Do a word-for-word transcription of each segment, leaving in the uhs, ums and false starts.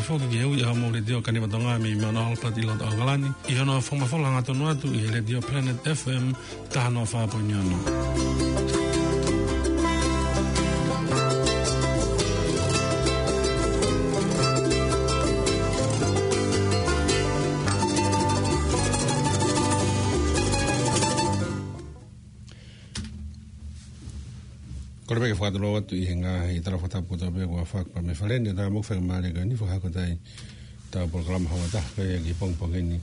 Foki ki he ui ʻa hoʻomou Letiō Kaniva Tonga mei Mount Albert ʻi loto ʻAokalani, ʻi hono fakamafola hangatonu atu ʻi he Letiō Planet F M taha noa fā poini ono. Kole pē ke fakatulou atu ʻi he ngaahi tala fakatapu kotoa pē kuo fakahoko mei Faleni, tā mo e faingamālie ko eni fakahoko atu ai ʻetau polokalama houa ʻe taha pē ki he pongipongi ni.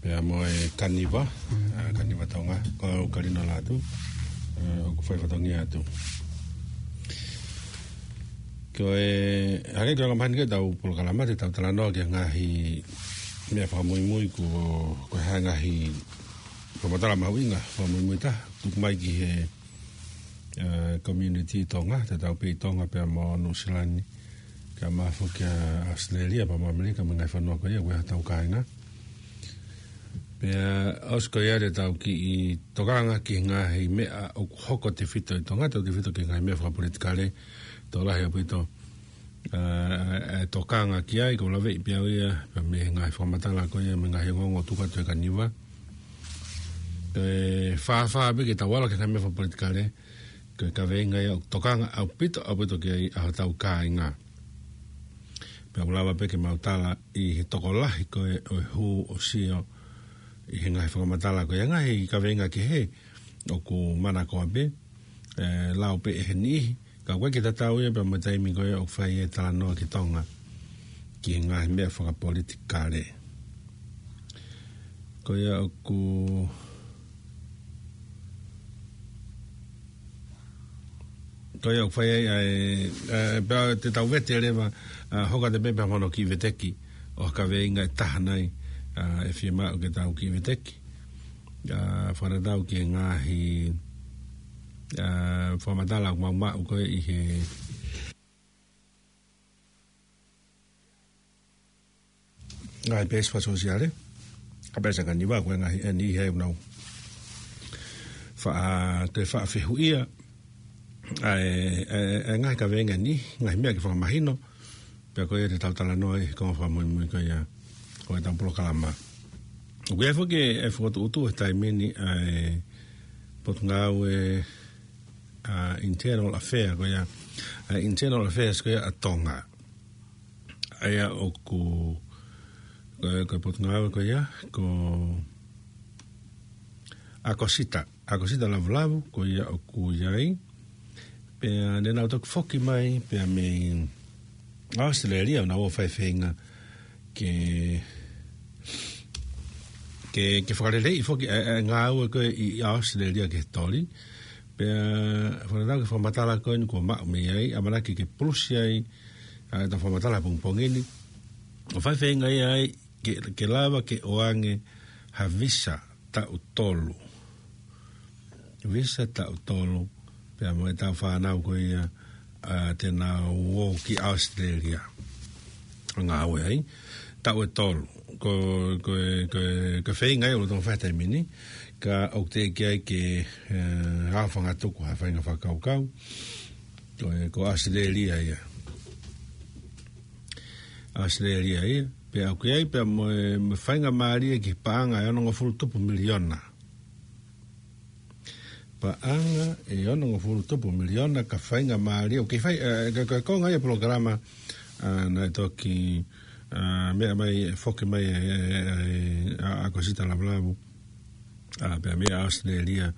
Pea mo e Kaniva, ʻa, Kaniva Tonga, ko Kalino Lātū, ʻa, ʻoku fai fatongia atu. Ko e, hangē ko e anga maheni ko ʻetau polokalama, te tau talanoa ki he ngaahi meʻa fakamuimui ko, ko e hā e ngaahi fakamatala mahuʻinga, fakamuimui taha, tuku mai ki he, ʻa, community Tonga, tatau pē ʻi Tonga pea mo Nuʻusila ni, kae ʻumaʻā foki ʻa ʻAositelēlia pea mo ʻAmelika mo e ngaahi fonua ko ia, ko e hotau kāinga. Pea ʻosi ko ia te tau kiʻi tokanga ki he ngaahi meʻa ʻoku hoko tefito ʻi Tonga, tautefito ki he ngaahi meʻa fakapolitikale, tokolahi ʻaupito, ʻa, ʻa, ʻa e tokanga ki ai, ko e laveʻi pē ia, pea mei he ngaahi fakamatala ko ia, mei he ngaahi ongoongo tuku atu ʻe he Kaniva. Ko e fāfā pē ke tau ala ki he ngaahi meʻa fakapolitikale, ko e kaveinga ia ʻoku tokanga ʻaupito, ʻaupito ki ai ʻa hotau kāinga. Pea ʻoku lava pē ke mau tala ʻi he tokolahi ko ē ʻo e hū ʻo sio ʻi he ngaahi fakamatala ko ia, ngaahi kaveinga kehe ʻoku manakoa pē, ʻe, lau pē ʻe he niʻihi, ka ʻoku ʻikai ke tatau ia pea mo e taimi ko ia ʻoku fai ai e talanoa ki Tonga, ki he ngaahi meʻa fakapolitikale. Ko ia ʻoku, ko ia ʻoku fai ai, ʻa e, ʻa e, pea te tau vete leva, ʻa, hoko atu pē pea mo hono kiʻi veteki ʻo e kaveinga ʻe taha nai, ʻa, ʻe fiemaʻu ke tau kiʻi veteki. ʻA, fakatatau ki he ngaahi, ʻa, fakamatala ʻoku mau maʻu ko ē ʻi he ngaahi peesi fakasōsiale, ʻa, peesi ʻa e Kaniva ko e ngaahi ʻe niʻihi ʻoku nau faʻa, toe faʻa fehuʻia ʻa e, ʻa e, ʻa e ngaahi kaveinga ni, ngaahi meʻa ke fakamahino, pea ko ia te tau talanoa ʻi he konga fakamuimui ko ia ʻo ʻetau polokalama. ʻOku ʻi ai foki e fokotuʻutuʻu he taimi ni ʻa e Potungāue, ʻa, Internal Affairs ko ia, ʻa, Internal Affairs ko ia ʻa Tonga. ʻA ia ʻoku, ko, ko e Potungāue ko ia, ko ʻAkosita, ʻAkosita Lavulavu, ko ia ʻoku ʻi ai. Pea ne nau toki foki mai, pea mei ʻAositelēlia, ʻo nau ō ʻo fai e feinga ke, ke, ke fakaleleiʻi foki ʻa e, ʻa e ngāue ko ē ʻi, ʻi ʻAositelēlia ki he toli. Pea fakatatau ki he fakamatala ko eni kuo maʻu mei ai, ʻamanaki ke pulusi ai, ʻa, ʻetau fakamatala pongipongi ni. ʻO fai e feinga ia ai, ke, ke lava ke ʻoange ha visa taʻu tolu. Visa taʻu tolu, pea mo ʻetau fānau ko ia, ʻa, te nau ō ki ʻAositelēlia ʻo ngāue ai. Taʻu ʻe tolu. Ko, ko, ko, ko e feinga ia ʻoku tau fai he taimi ni, ka ʻoku teʻeki ai ke, ʻe, aofangatuku ha faʻahinga fakakaukau. Ko, ko ʻAositelēlia ia. ʻAositelēlia ia. Pea ʻoku ʻi ai pea mo e, mo e faingamālie ki he paʻanga ʻe onongofulu tupu miliona. Paʻanga ʻe onongofulu tupu miliona ka faingamālie. ʻOku fai, ʻe, ka, ka, ko e konga ia e polokalama, ʻa, naʻe toki, ʻa, meʻa mai, ʻe foki mai, ʻe, ʻe, ʻe, ʻa, ʻAkosita Lavulavu. ʻA, pea mei ʻAositelēlia,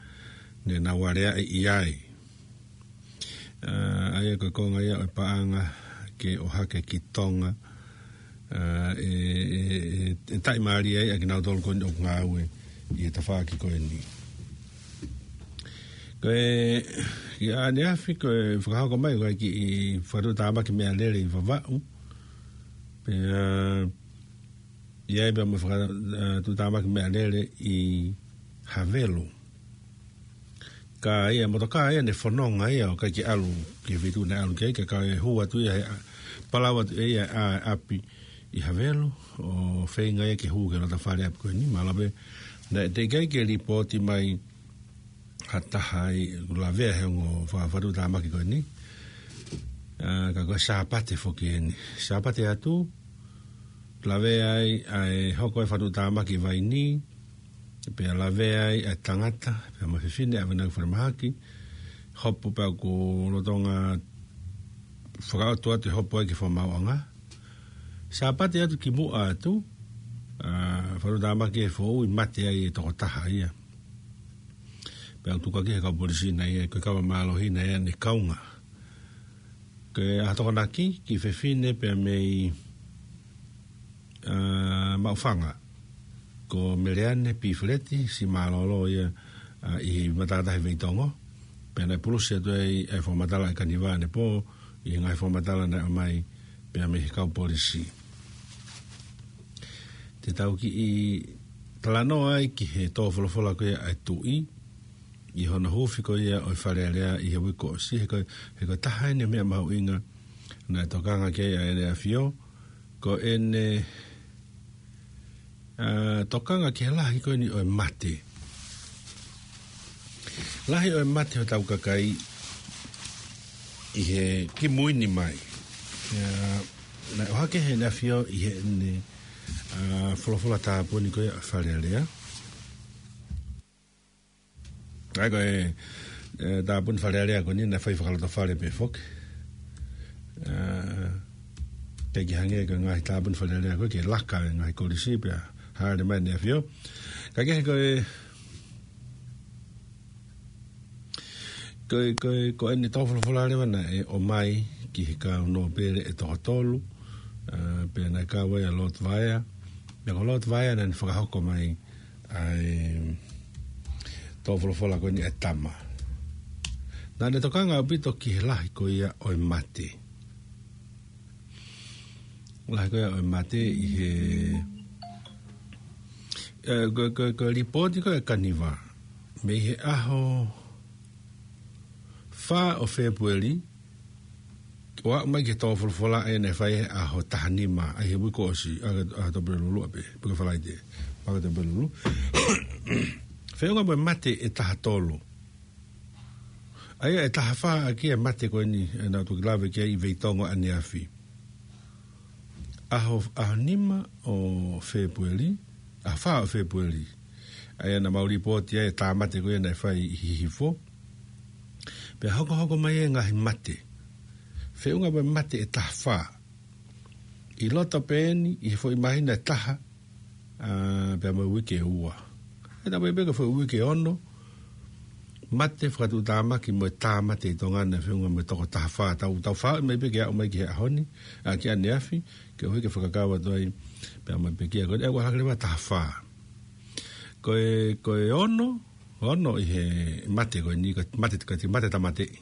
ne nau aleaʻi ai. ʻA, ʻa ia ko e konga ia ʻo e paʻanga ke ʻohake ki Tonga. ʻA, ʻe, ʻe, ʻe, ʻe taʻimālie ai ʻa kinautolu ko eni ʻoku ngāue ʻi he tafaʻaki ko eni. Ko e, ʻi ʻaneafi ko e fakahoko mai ko e kiʻi fakatuʻutāmaki meʻalele ʻi Vavaʻu. Pea, ʻi ai pea mo e faka-, ʻa, tuʻutāmaki meʻalele ʻi Havelu. Ka ʻi ai e motokā ia ne fononga ia ʻo ʻikai ke ʻalu ki he feituʻu naʻe ʻalu ki ai, ka ka e hū atu ia he ʻa-, palau atu ia ʻa e ʻapi ʻi Havelu, ʻo feinga ia ke hū ki he loto fale ʻapi ko eni, mahalo pē naʻe teʻeki ai ke lipooti mai ha taha ʻi he lavea he ongo fa-, fakatuʻutāmaki ko eni. ʻA, ka ko e Sāpate foki eni. Sāpate atu, lavea ai ʻa e hoko e fatuʻutāmaki vaini, pea lavea ai ʻa e tangata, pea mo e fefine, ʻa e ʻamanaki falemahaki, hopo pea ʻoku lolotonga fakaʻotua atu e hopo ai ki he fakamaauʻanga. Sāpate atu kimuʻa atu, ʻa, fatuʻutāmaki e foʻui, mate ai e tokotaha ia. Pea ʻoku tuku hake ʻe he kau polisi naʻe ʻi ai, ko e kava mālohi naʻe ʻi ai ʻene kaunga. Ko e ʻaho Tokonaki, ki he fefine pea mei, ʻa, Maʻufanga. Ko Meleane Pifeleti, siʻi mālōlō ia, ʻa, ʻi he matātahi Veitongo. Pea naʻe pulusi atu ai ʻa e fakamatala ʻa e Kaniva ʻanepō, ʻi he ngaahi fakamatala naʻe ʻomai pea mei he kau polisi. Te tau kiʻi talanoa ai ki he tō folofola ko ia ʻa e Tuʻi, ʻi hono huufi ko ia ʻo e Fale Alea ʻi he uike kuo ʻosi, he ko, he ko e taha eni e meʻa mahuʻinga naʻe tokanga ki ai ʻa ʻEne ʻAfio, ko ʻene, ʻa, tokanga ki he lahi ko eni ʻo e mate. Lahi ʻo e mate hotau kakai ʻi he kimui ni mai. ʻA, naʻe ʻohake ʻe ʻEne ʻAfio ʻi heʻene, ʻa, folofola tāpuni ko ia ʻa e Fale Alea. ʻA ia ko e, e, tāpuni Fale Alea ko eni naʻe fai fakalotofale pē foki. ʻA, teʻeki hangē ko e ngaahi tāpuni Fale Alea ko ē ke laka e ngaahi kolisi pea hāʻele mai ʻEne ʻAfio. Ka kehe ko e, ko e, ko e, ko ʻene tō folofola leva naʻe ʻomai ki he kau nōpele ʻe toko tolu, ʻa, pea naʻe kau ai ʻa Lord Vaea. Pea ko Lord Vaea naʻa ne fakahoko mai ʻa e tō folofola ko eni ʻa e tama. Naʻa ne tokanga ʻaupito ki he lahi ko ia ʻo e mate. Lahi ko ia ʻo e mate ʻi he, e, ko, ko, ko e lipooti ko ē ʻa e Kaniva. Mei he ʻaho fā ʻo Fēpueli, ʻo aʻu mai ki he tō folofola ʻa ē naʻe fai he ʻaho taha nima, ʻa ia he uike kuo ʻosi, ʻa, ʻa Tupulelulu ʻapē, pe ko e Falaite, ʻa Tupulelulu. Feʻunga mo e mate ʻe taha tolu. ʻA ia ʻe taha fā ʻaki e mate ko eni, ʻa ia naʻa tau toki lave ki ai ʻi Veitongo ʻaneafi. ʻAho, ʻaho nima ʻo Fēpueli, ʻaho fā ʻo Fēpueli. ʻA ia naʻa mau lipooti ai e tāmate ko ia naʻe fai ʻi Hihifo. Pea hokohoko mai e ngaahi mate. Feʻunga mo e mate ʻe taha fā. ʻI loto pē eni, ʻi he foʻi māhina ʻe taha, ʻa, pea mo e uike ʻe ua. ʻE taha mai pē ko e foʻi uike ʻe ono, mate fakatuʻutāmaki mo e tāmate ʻi Tonga naʻe feʻunga mo e toko taha fā. Tau, tau fāʻi mai pē ke aʻu mai ki he ʻaho ni, ʻa, ki ʻaneafi, ke ʻohake fakakau atu ai, pea mo e pekia ko ē, ʻe ua hake leva taha fā. Ko e, ko e ono, ono ʻi he mate ko eni, ko e mate, ko e mate tāmateʻi.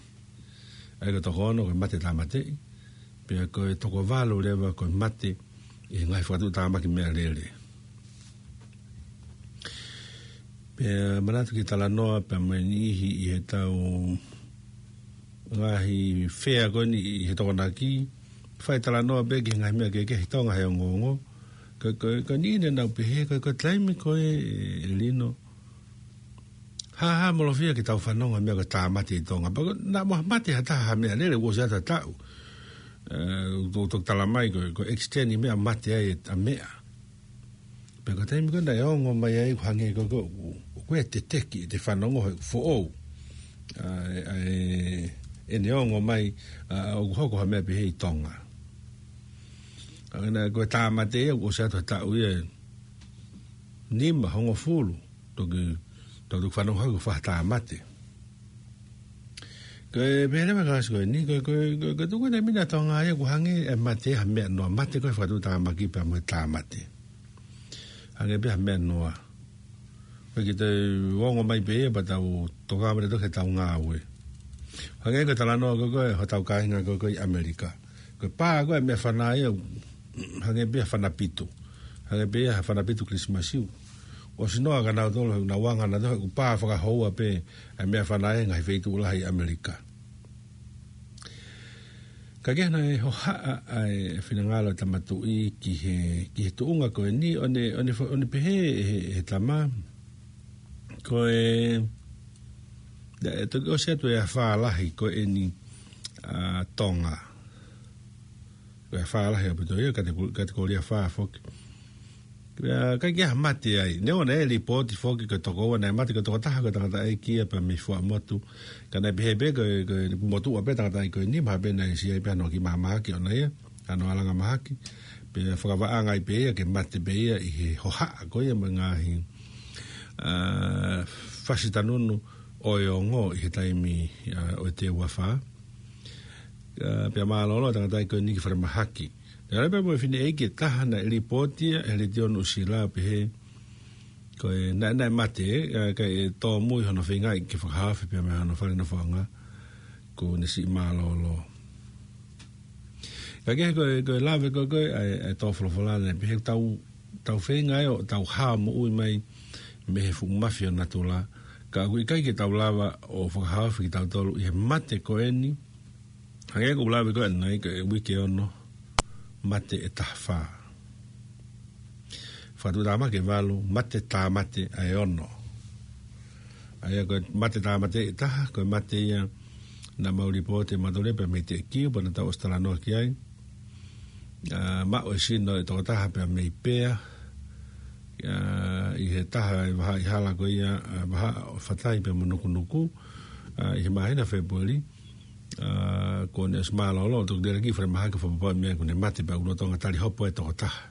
ʻA ia ko e toko ono ko e mate tāmateʻi, pea ko e toko valu leva ko e mate ʻi he ngaahi fakatuʻutāmaki meʻalele. Pea manatu ki he talanoa pea mo e niʻihi ʻi heʻetau ngaahi fea ko eni ʻi he Tokonaki, fai talanoa pē ki he ngaahi meʻa kehekehe ʻi Tonga he ongoongo. Ko, ko, ko e niʻihi naʻa nau pehē, ko, ko e taimi ko ē, ʻe Lino, hāhāmolofia ke tau fanongo meʻa ko e tāmate ʻi Tonga. Pea ko e, naʻa mo ha mate ha taha ha meʻalele, ʻoku ʻosi atu ha taʻu. ʻE, ʻoku, ʻoku tala mai ko e, ko e extent ʻi meʻa mate ai ʻa e meʻa. Pea ko e taimi ko ē naʻe ongo mai ai ʻoku hangē ko e, ko e, ʻoku ʻi ai e teteki ʻete fanongo he foʻou. ʻA, ʻa, ʻene ongo mai, ʻa, ʻoku hoko ha meʻa pehē ʻi Tonga. ʻA, naʻe ko e tāmate ia, ʻoku ʻosi atu ha taʻu ia ʻe nima, hongofulu, toki, toki fanongo hake ʻoku fai ha tāmate. Ko e pehē leva ʻe he kalasi ko eni, ko, ko, ko, ko e tuʻunga ʻeni ʻa Tonga ia ʻoku hangē e mate ha meʻa noa, mate ko e fakatuʻutāmaki pea mo e tāmate. Hangē pē ha meʻa noa. Ko e ke te ongo mai pē ia pea tau toka mai toki tau ngāue. Hangē ko e talanoa ko ē ko ē hotau kāinga ko ē ko ē ʻi ʻAmelika. Ko e pā ko ē meʻafana ia, hangē pē ha fana pitu. Hangē pē ia ha fana pitu Kilisimasi. ʻOsi noa kia nautolu he ʻoku nau anga nautolu he ʻoku pā fakahoua pē ʻa e meʻafana ʻi he ngaahi feituʻu lahi ʻi ʻAmelika. Ka ke naʻe hohaʻa ʻa e finangalo ʻo e Tama Tuʻi ki he, ki he tuʻunga ko eni, ʻo ne, ʻo ne fo-, ʻo ne pehē ʻe he, he tama. Ko e, naʻe toki ʻosi atu e afā lahi ko eni ʻa Tonga. Ko e fā lahi ʻaupito ia, kate-, katekōlia fā foki. Pea ʻikai ke ʻi ai ha mate ai. Neongo naʻe lipooti foki ko e toko ua naʻe mate ko e tokotaha ko e tangataʻeiki ia pea mei Fuaʻamotu. Ka naʻe pehē pē ko e, ko e motuʻa pē tangataʻeiki ko eni, mahalo pē naʻe ʻi ai pē hano kiʻi mahaki ʻoʻona ia, hano alanga mahaki. Pea fakavaʻanga ai pē ia ke mate pē ia ʻi he hohaʻa ko ia mo e ngaahi, ā, fasi tanunu ʻo e ongo ʻi he taimi, ā, ʻo e teu afā. Ā, pea mālōlō tangataʻeiki ko eni ki falemahaki. Naʻe ʻi ai pē mo e fineʻeiki ʻe taha naʻe lipooti ia ʻe he Letiō Nuʻusila pehē ko e naʻe, naʻe mate, ā, kae tōmui hono feingaʻi ke fakahaofi pea mei hono fale nofoʻanga kuo ne siʻi mālōlō. Ka kehe ko e, ko e lave ko ē, ko e, ʻa e, ʻa e tō folofola naʻe pehē tau, tau feinga ʻo tau hao moʻui mai mei he fuʻu mafi ʻo natula. Ka ʻoku ʻikai ke tau lava ʻo fakahaofi kitautolu ʻi he mate ko eni. Hangē ko e lave ko ē ʻanenai ko e uike ono, mate ʻe taha fā. Fakatuʻutāmaki ʻe valu, mate tāmate ʻa e ono. ʻA ia ko e mate tāmate ʻe taha, ko e mate ia naʻa mau lipooti ʻe mautolu pea mei Teʻekiu, pea naʻa tau ʻosi talanoa ki ai. Ā, maʻu e sino ʻe tokotaha pea mei Pea. Ā, ʻi he taha e vahaʻa hala ko ia, ā, vahaʻa ʻo Fatai pea mo Nukunuku, ā, ʻi he māhina Fēpueli, ā, kuo ne ʻosi mālōlō, toki lele ki falemahaki fakapapauʻi meʻa kuo ne mate pea ʻoku lolotonga tali hopo e tokotaha.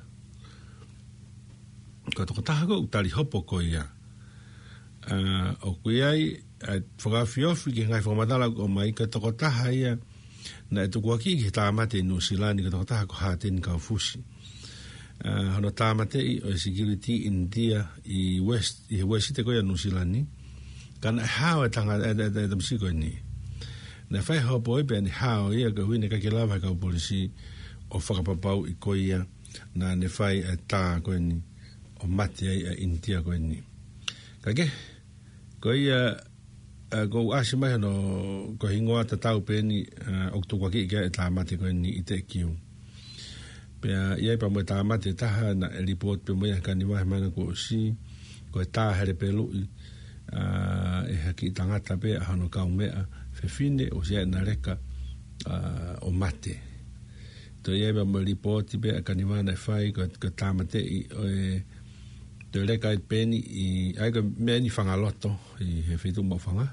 Ko e tokotaha ko ē ʻoku tali hopo ko ia. Ā, ʻoku ʻi ai, ā, fakaofiofi ki he ngaahi fakamatala ʻoku ʻomai, ko e tokotaha ia naʻe tukuakiʻi ki he tāmate ʻi Nuʻusila ni ko e tokotaha ko Hāteni Kaufusi. Ā, hono tāmateʻi ʻo e security ʻInitia ʻi West, ʻi he Uēsite ko ia Nuʻusila ni. Ka naʻe hao e tanga, e, e, e, e tamasiʻi ko eni. Naʻe fai hopo ai pea ne hao ia ka ʻoku ʻikai ke lava he kau polisi ʻo fakapapauʻi ko ia naʻa ne fai e tā ko eni ʻo mate ai e ʻInitia ko eni. Ka kehe, ko ia, ā, ʻoku ʻasi mai hano, ko e hingoa tatau pē eni, ā, ʻoku tukuakiʻi ki ai e tāmate ko eni ʻi Teʻekiu. Pea ʻi ai pea mo e tāmate ʻe taha naʻe lipooti pē mo ia he Kaniva he māhina kuo ʻosi, ko e tā helepeluʻi, ā, ʻe ha kiʻi tangata pē ʻa hono kaumeʻa fefine ʻosi ʻi ai ʻena leka, ā, ʻo mate. Toe ʻi ai pea mo e lipooti pē ʻa e Kaniva naʻe fai ko, ko e tāmateʻi ʻo e, toe leka ai pē eni ʻi, ʻa ia ko e meʻa eni fanga loto ʻi he feituʻu Maʻufanga.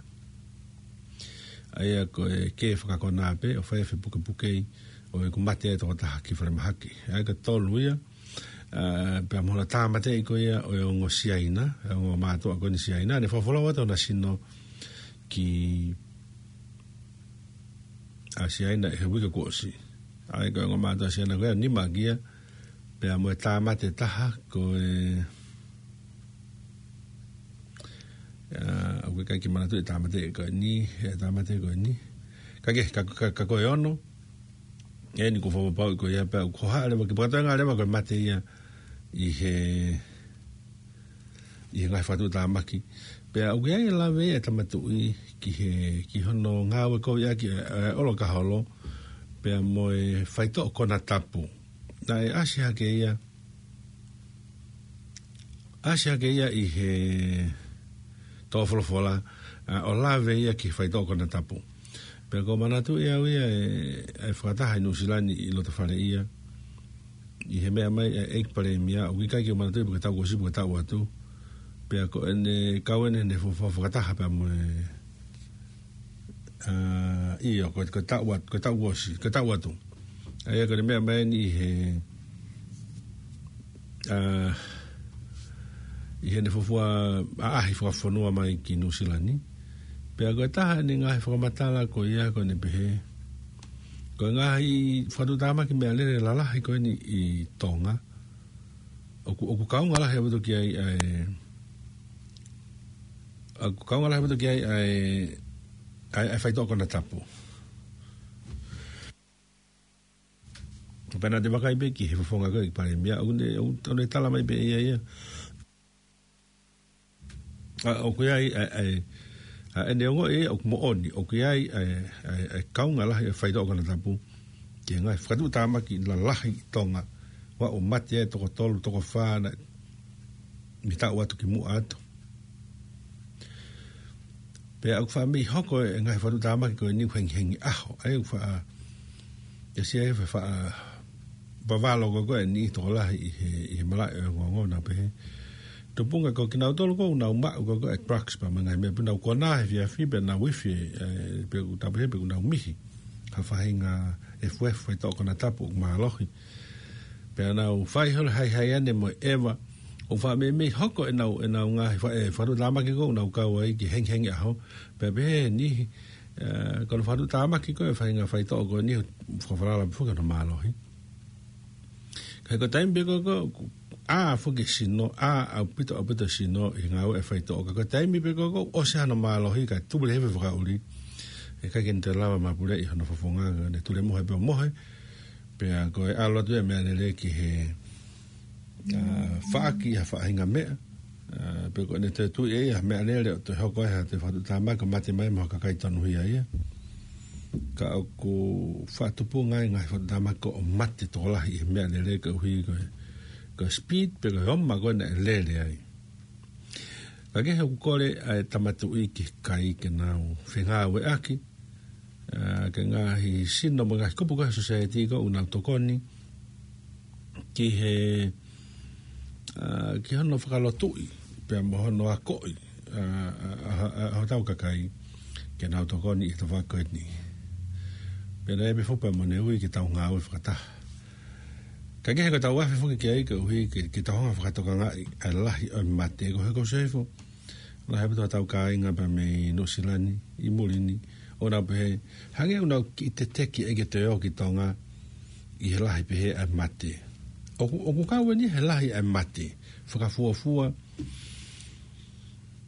ʻA ia ko e kē fakakona pē ʻo fai e fepukepukei ʻo ʻeku mate e tokotaha ki falemahaki. ʻA ia ko e tolu ia, ā, pea mo hono tāmateʻi ko ia ʻo e ongo Siaina, e ongo mātuʻa ko eni Siaina, ne folofola atu hona sino ki ʻa Siaina he uike kuo ʻosi. ʻA ia ko e ongo mātuʻa Siaina ko ia, nima kia, pea mo e tāmate ʻe taha ko e, ā, ʻoku ʻikai ke manatuʻi e tāmate ko eni, e tāmate ko eni. Ka kehe, ka, ka, ka ko e ono, eni kuo fakapapauʻi ko ia pea ʻoku hohaʻa leva ke fakatoenga leva ko e mate ia ʻi he, ʻi he ngaahi fakatuʻutāmaki. Pea ʻoku ʻi ai e lave ʻa e Tama Tuʻi ki he, ki hono ngāue koviʻaki ʻa e, ʻa e ʻolo ka holo, pea mo e faitoʻo konatapu. Naʻe ʻasi hake ia, ʻasi hake ia ʻi he tō folofola, ā, ʻo lave ia ki he faitoʻo konatapu. Pea ʻoku ou manatuʻi au ia e, e fakataha ʻi Nuʻusila ni ʻi loto fale ia. ʻI he meʻa mai e ʻEiki Palēmia, ʻoku ʻikai ke u manatuʻi pe ko e taʻu kuo ʻosi pe ko e taʻu atu. Pea ko ʻene kau ʻene, ʻene fuofua fakataha pea mo e, ā, ʻio, ko, ko e taʻu atu, ko e taʻu kuo ʻosi, ko e taʻu atu. ʻA ia ko ʻene meʻa mai eni ʻi he, ā, ʻi heʻene fuofua ʻaʻahi fakafonua mai ki Nuʻusila ni. Pea ko e taha ʻene ngaahi fakamatala ko ia ko ʻene pehē, ko e ngaahi fakatuʻutāmaki meʻalele lalahi ko eni ʻi Tonga, ʻoku, ʻoku kaunga lahi ʻaupito ki ai ʻa e, ʻoku kaunga lahi ʻaupito ki ai ʻa e, ʻa e, ʻa e faitoʻo konatapu. Pea naʻa te vakai pē ki he fofonga ko e ʻEiki Palēmia, ʻoku ne, ʻoku, ʻoku ne tala mai pē ʻe ia ia. ʻA, ʻoku ʻi ai, ʻa, ʻa, ʻa, ʻene ongoʻi ʻoku moʻoni, ʻoku ʻi ai, ʻa, ʻa, ʻa e kaunga lahi e faitoʻo konatapu ki he ngaahi fakatuʻutāmaki lalahi ʻi Tonga, ʻo aʻu mate ai toko tolu, toko fā, naʻe mei taʻu atu ki muʻa atu. Pea ʻoku faʻa mei hoko e ngaahi fakatuʻutāmaki ko eni ʻoku hengihengi ʻaho, ʻa ia ʻoku faʻa, ʻe sia e faʻa, vavalo ko ē ʻa e niʻihi tokolahi ʻi he, ʻi he malaʻe ʻo e ongoongo, nau pehē, tupunga ko kinautolu ko ē ʻoku nau maʻu ko ē ʻa e drugs pea mo e ngaahi meʻa, pea nau konā he efiafi pea nau ifi, ʻe, pe ʻoku tau pehē pe ʻoku nau mihi ha faʻahinga efuefu, faitoʻo konatapu ʻoku mālohi. Pea nau fai holo haihai ʻanenai mo e ʻeva, ʻo fakameimei hoko ʻenau, ʻenau ngaahi fa-, ʻe, fakatuʻutāmaki ko ē ʻoku nau kau ai ki he hengihengi ʻaho. Pea pehē ʻe he niʻihi, ʻe, ko hono fakatuʻutāmaki ko ē ʻa e faʻahinga faitoʻo ko eni, fakafalala pē foki hono mālohi. Ka ko e taimi pē ko ē ʻoku ʻā foki e sino, ʻā ʻaupito, ʻaupito e sino ʻi he ngāue ʻa e faitoʻo. Ka ko e taimi pē ko ē ʻoku ʻosi hano mālohi, kae tupu leva e fakaʻuli. ʻE ʻikai ke ne toe lava mapuleʻi hono fofonga, ka ne tulemohe pē ʻo mohe. Pea ko e ʻalu atu ia e meʻalele ki he, ʻa, faʻaki ha faʻahinga meʻa. ʻA, pe ko ʻene toe tui ʻe ia ha meʻalele ʻo toe hoko ai ha toe fakatuʻutāmaki, mate mai mo ha kakai tonuhia ia. Ka ʻoku fakatupunga ai e ngaahi fakatuʻutāmaki ko ē ʻo mate tokolahi ʻi he meʻalele koeʻuhi ko e, ko e speed pe ko e oma ko ē naʻe lele ai. Ka kehe ʻoku kole ʻa e Tama Tuʻi ki he kakai ke nau fengāueʻaki, ʻa, ki he ngaahi sino mo e ngaahi kupu ko ē ʻa e society ko ē ʻoku nau tokoni ki he, ʻa, ki hono fakalotuʻi pea mo hono akoʻi, ʻa, ʻa, ʻa, ʻa, ʻa hotau kakai ke nau tokoni ʻi he tafaʻaki ko eni. Pea naʻe pehē foki pea mo ʻene ui ke tau ngāue fakataha. Ka kehe ko ʻetau afe foki ki ai koeʻuhi ke, ke tau hanga ʻo fakatokangaʻi ʻa e lahi ʻo e mate, ko e hā ko Sefo, lahi ʻaupito hotau kāinga pea mei Nuʻusila ni ʻi muli ni, ʻo nau pehē, hangē ʻoku nau kiʻi teteki ʻa e ke toe ō ki Tonga ʻi he lahi pehē ʻa e mate. ʻOku, ʻoku kau eni he lahi ʻa e mate, fakafuofua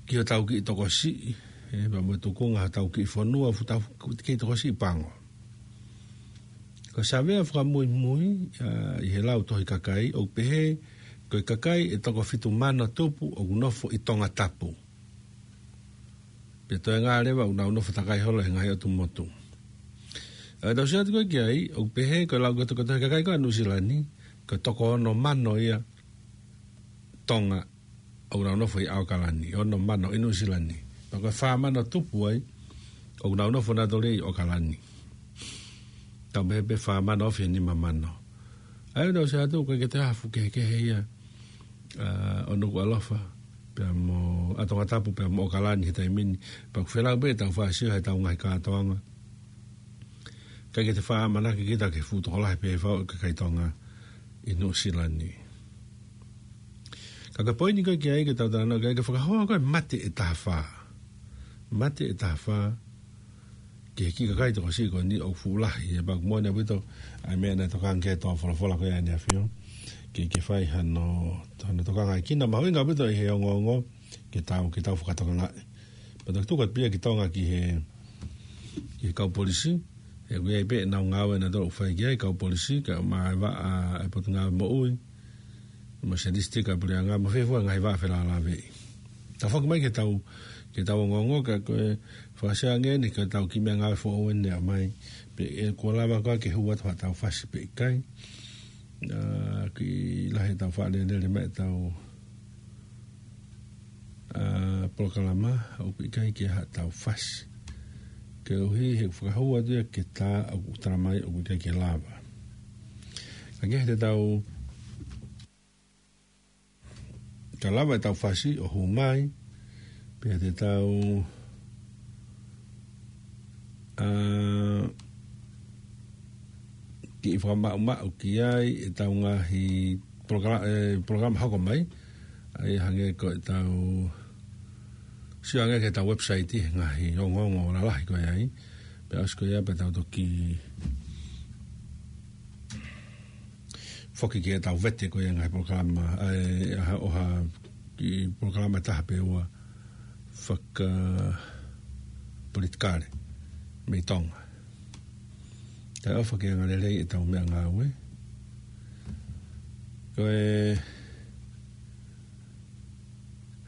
ki hotau kiʻi tokosiʻi, ʻe, pea mo e tukunga hotau kiʻi fonua, fuʻu tau kiʻi tokosiʻi pango. Ko e savea fakamuimui, ʻa, ʻi he lau tohi kakai, ʻoku pehē, ko e kakai ʻe toko fitu mano tupu ʻoku nofo ʻi Tongatapu. Pea toe ngā leva ʻoku nau nofo takai holo he ngaahi ʻotu motu. ʻA, tau sio atu ko ē ki ai, ʻoku pehē, ko e lau ko ē tohi kakai ko ē ʻa Nuʻusila ni, ko e toko ono mano ia Tonga ʻoku nau nofo ʻi ʻAokalani, ono mano ʻi Nuʻusila ni. Pea ko e fā mano tupu ai, ʻoku nau nofo nautolu ʻi ʻAokalani. Tau pehē pē fā mano ofi he nima mano. ʻA ia tau sio atu ko e ke te hafu kehekehe ia, ʻa, ʻo Nukuʻalofa, pea mo, ʻa Tongatapu, pea mo ʻAokalani he taimi ni. Pea ʻoku felau pē ʻetau fāsio heʻetau ngaahi kātoanga. ʻIkai ke te faʻa ʻamanaki kita ke fuʻu tokolahi pē fau ʻa e kakai Tonga ʻi Nuʻusila ni. Ka ko e poini ko ē ki ai ke tau talanoa ki ai, ke fakahoa ko ē mate ʻe taha fā. Mate ʻe taha fā ki he kiʻi kakai tokosiʻi ko eni ʻoku fuʻu lahi, ʻe, pea ʻoku moʻoni ʻaupito ʻa e meʻa naʻe tokanga ki ai e toa folofola ko ē ʻa ʻEne ʻAfio, ke, ke fai hano, hano tokangaʻi kina mahuʻinga ʻaupito ʻi he ongoongo, ke tau, ke tau fakatokangaʻi. Pea toki tuku atu pē ia ki Tonga ki he, ki he kau polisi. ʻE, ʻoku ʻi ai pē ʻenau ngāue naʻa nau fai ki ai e kau polisi, kae ʻumaʻā e vaʻa ʻa e Potungāue Moʻui, mo e Sēnisitiki ʻa e Puleʻanga, mo e fē fua e ngaahi vaʻa felālāveʻi. Tau foki mai ki heʻetau, ki heʻetau ongoongo, ka ko e fakaʻosi ange eni ki heʻetau kiʻi meʻangāue foʻou eni ʻa mai. Pe ʻe kuo lava koā ke hū atu haʻatau fasi pe ʻikai. ʻA, kiʻi lahi ʻetau faʻa lele mai ʻetau, ʻa, polokalama, ʻoku ʻikai ke ʻi ai haʻatau fasi. Koeʻuhi he ʻoku fakahū atu ia ki he tā ʻoku tala mai ʻoku ʻikai ke lava. Ka ke he te tau, ka lava ʻetau fasi ʻo hū mai, pea te tau, ʻa, kiʻi fakamaʻumaʻu ki ai ʻetau ngaahi polokala-, ʻe, polokalama hoko mai, ʻa ia hangē ko ʻetau, sio ange ki heʻetau website he ngaahi ongoongo lalahi ko ē ai, pea ʻosi ko ia pea tau toki foki ki heʻetau vete ko ē ngaahi polokalama, ʻa e, ʻa ha, ʻo ha kiʻi polokalama ʻe taha pe ua fakapolitikale mei Tonga. Kae ʻofa ke angalelei ʻetau meʻangāue. Ko e,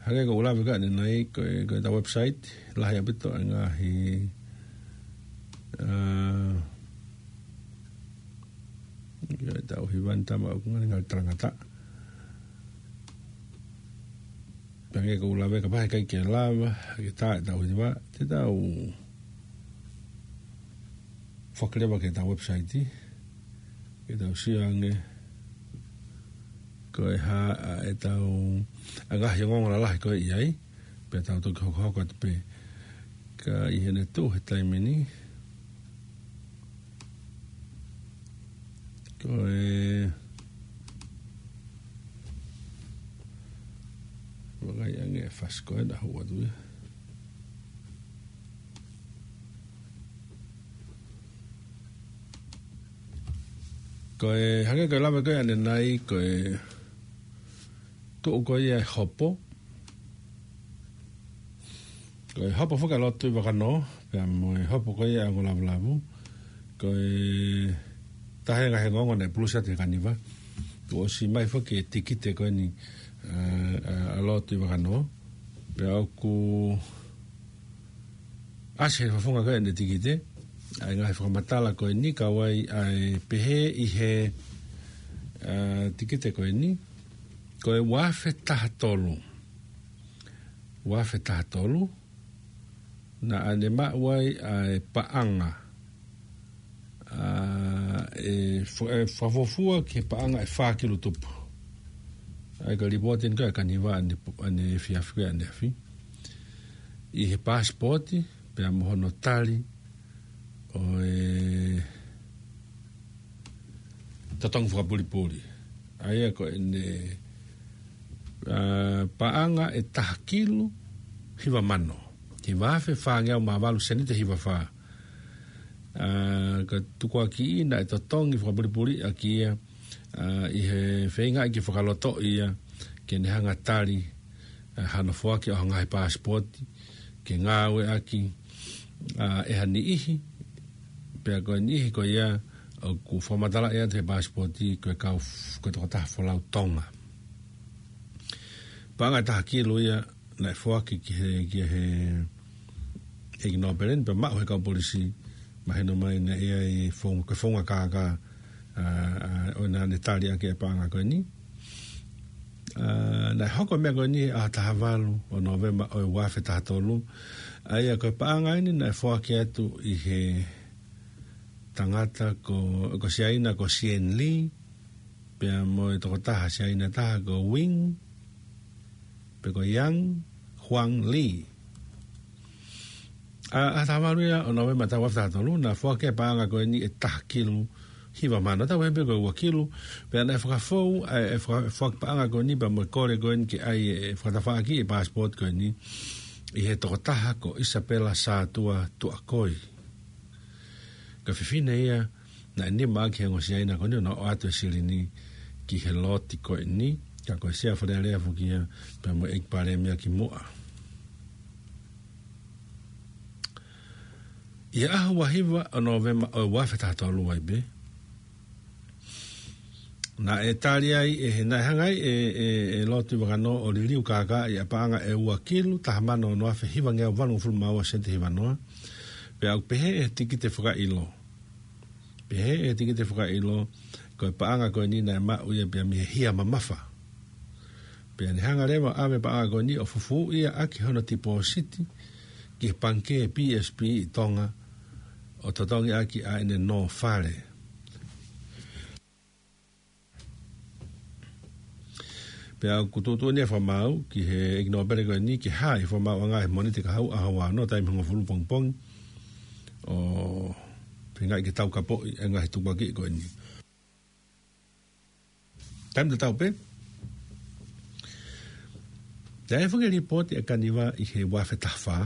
hangē ko ʻeku lave ko ē ʻanenai, ko e, ko ʻetau website, lahi ʻaupito e ngaahi, ʻa, ko ʻetau hiva ni, tama ʻoku ngali ngali talangataʻa. Pea hangē ko ʻeku lave, kapau he ʻikai ke lava ke tā ʻetau hiva, te tau foki leva ki heʻetau website, ke tau sio ange Ko e hā ʻa ʻetau, ʻa e ngaahi ongoongo lalahi ko ē ʻi ai, pea tau toki hokohoko atu pē. Ka ʻi heʻene tuʻu he taimi ni, ko e, vakai ange e fasi ko ē naʻa hū atu ia. Ko e hangē ko e lave ko ē ʻanenai, ko e tuʻu ko ia e hopo. Ko e hopo foki ʻa Lord Tuʻivakanō, pea mo e hopo ko ia ʻa Ongo Lavulavu. Ko e taha e ngaahi ongoongo naʻe pulusi atu he Kaniva. Kuo ʻosi mai foki e tikite ko eni, ʻa, ʻa, ʻa Lord Tuʻivakanō. Pea ʻoku ʻasi he fofonga ko ē ʻene tikite ʻa e ngaahi fakamatala ko eni, ka ʻoku ʻi ai ʻa e pehē ʻi he, ʻa, tikite ko eni, ko e ua afe taha tolu. Ua afe taha tolu, naʻa ne maʻu ai ʻa e paʻanga, ʻa, ʻe fo-, ʻe fakafuofua ki he paʻanga ʻe fā kilu tupu. ʻA ia ko e lipooti eni ko ē ʻa e Kaniva ʻane, ʻaneefiafi ko ē ʻaneafi. ʻI he paasipooti, pea mo hono tali ʻo e totongi fakapulipuli. ʻA ia ko ʻene, ʻa, paʻanga ʻe taha kilu hiva mano. Hiva afe fāngeau mā valu seniti hiva fā. ʻA, ka tukuakiʻi naʻe totongi fakapulipuli ʻaki ia, ʻa, ʻi he feingaʻi ke fakalotoʻi ia, ke ne hanga tali, ʻa, hano foaki ʻo ha ngaahi paasipooti, ke ngāueʻaki, ʻa, ʻe ha niʻihi, pea ko e niʻihi ko ia, ʻoku fakamatalaʻi atu he paasipooti, ko e kau f-, ko e tokotaha folau Tonga. Paʻanga ʻe taha kilu ia, naʻe foaki ki he, ki he ʻEiki Nōpele ni, pea maʻu he kau polisi, mahino mai naʻe ʻi ai e founga, ko e founga kākā, ʻa, ʻa, ʻo naʻa ne tali ʻaki e paʻanga ko eni. ʻA, naʻe hoko e meʻa ko eni ʻaho taha valu ʻo Nōvema ʻo e ua afe taha tolu. ʻA ia ko e paʻanga eni naʻe foaki atu ʻi he tangata ko, ko Siaina ko Sien Li, pea mo e tokotaha Siaina taha ko Wing, pe ko Yang Huang Li. ʻA, ʻaho taha valu ia ʻo Nōvema taha ua afe taha tolu, naʻe foaki e paʻanga ko eni ʻe taha kilu hiva mano, tau pehē pē ko e ua kilu, pea naʻe fakafou, ʻa e, e faka-, foaki paʻanga ko eni pea mo e kole ko eni ke ʻai e fakatafaʻaki e paasipooti ko eni ʻi he tokotaha ko Isapela Sātua Tuʻakoi. Ko e fefine ia naʻe nima ʻaki he ongo Siaina ko eni ʻo na ʻoatu e silini ki he loti ko eni, ka ko e Sea Fale Alea foki ia, pea mo e ʻEiki Palēmia kimuʻa. ʻI he ʻaho ua hiva ʻo Nōvema ʻo e ua afe taha tolu ai pē, naʻe tali ai ʻe he, naʻe hanga ai ʻe, ʻe, ʻe Lord Tuʻivakanō ʻo liliu kākaaʻi ʻa e paʻanga ʻe ua kilu, taha mano ono afe hivangeau valungofulu mā ua seniti hiva noa, pea ʻoku pehē ʻe he tikite fakaʻilo. Pehē ʻe he tikite fakaʻilo, ko e paʻanga ko eni naʻe maʻu ia pea mei he hia mamafa. Pea ne hanga leva ʻo ʻave e paʻanga ko eni ʻo fufū ia ʻaki hono tipōsiti ki he pangikē P S B ʻi Tonga, ʻo totongi ʻaki ʻa ʻene nō fale. Pea ʻoku tuʻutuʻuni e fakamaau ki he ʻEiki Nōpele ko eni ke hā ʻi he fakamaauʻanga he Mōnite kahaʻu ʻaho ua noa taimi hongofulu pongipongi, ʻo feingaʻi ke taukapoʻi e ngaahi tukuakiʻi ko eni. Taimi tatau pē, naʻe fai e lipooti ʻa e Kaniva ʻi he ua afe taha fā.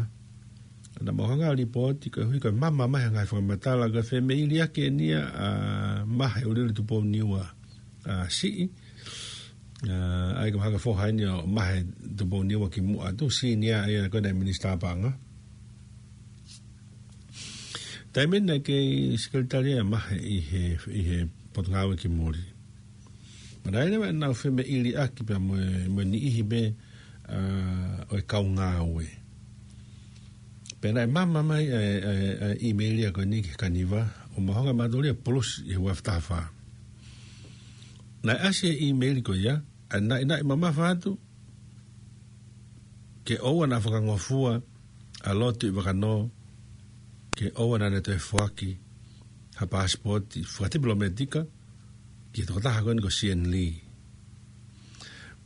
Naʻa mau hanga ʻo lipooti koeʻuhi ko e mama mai ha ngaahi fakamatala ko e femeiliaki eni ia ʻa Mahe ʻUliʻuli Tupou Niua, ʻa, siʻi. ʻA, ʻa ia ko e hanga foha eni ʻo Mahe Tupou Niua kimuʻa atu, senior ia ko ē naʻe Minisitā Paʻanga. Taimi naʻe kei sekelitali ʻa Mahe ʻi he, ʻi he Potungāue ki Muli. Pea naʻe ʻi ai leva ʻenau femeiliaki pea mo e, mo e niʻihi pē, ʻa, ʻo e kau ngāue. Pea naʻe mama mai ʻa e, ʻa e, ʻa e ʻīmeili ko eni ki he Kaniva, ʻo mau hanga ʻe mautolu ia ʻo pulusi ʻi he ua afe taha fā. Naʻe ʻasi e ʻīmeili ko ia, ʻa e naʻinaʻi mamafa atu, ke ʻoua naʻa fakangofua ʻa Lord Tuʻivakanō, ke ʻoua naʻa ne toe foaki ha paasipooti fakatipilōmētika ki he tokotaha ko eni ko Sien Li.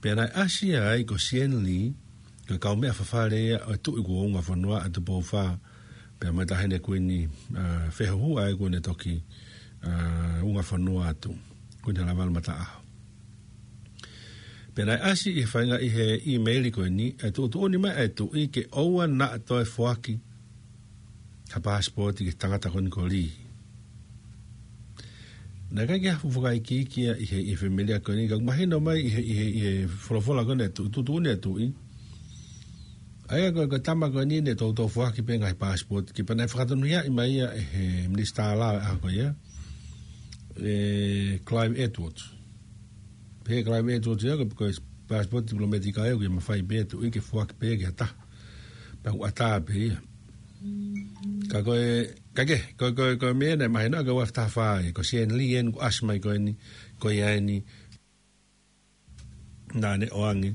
Pea naʻe ʻasi ai ko Sieni Lī, ko e kaumeʻa fafale ia ʻo e tuʻi kuo ungafonua ʻa Tupou Fā, pea mo e taʻahine kuini, ʻa, fehuhu ai kuo ne toki, ʻa, ungafonua atu, Kuini Halaevalu Mataʻaho. Pea naʻe ʻasi ʻi he faʻahinga ʻi he ʻīmeili ko eni, ʻa e tuʻutuʻuni mai ʻa e tuʻi ke ʻoua naʻa toe foaki ha paasipooti ki he tangata ko eni ko Lī. Naʻe ʻikai ke ha fuʻu fakaikiiki ia ʻi he, ʻi he fāmili ko eni, ka ʻoku mahino mai ʻi he, ʻi he, ʻi he folofola ko eni ʻa e tuʻi, tuʻutuʻuni ʻa e tuʻi. ʻA ia ko e, ko e tama ko eni naʻe toutou foaki pē ngaahi paasipooti ki ai pea naʻe fakatonuhiaʻi mai ia ʻe he minisitā lao ʻo e ʻaho ko ia, ʻe Clive Edwards. Pehē ʻe Clive Edwards ia ko e, ko e paasipooti tipilōmētika ia ʻoku ʻikai mafai pē ʻe he tuʻi ke foaki pē ki ha taha. Pea ʻoku ʻatā pē ia. Ka ko e, ka ke, ko, ko, ko e meʻa naʻe mahino ko e ua afe taha fā ia, ko Sieni Lī eni kuo ʻasi mai ko eni, ko ia eni, naʻa ne ʻoange,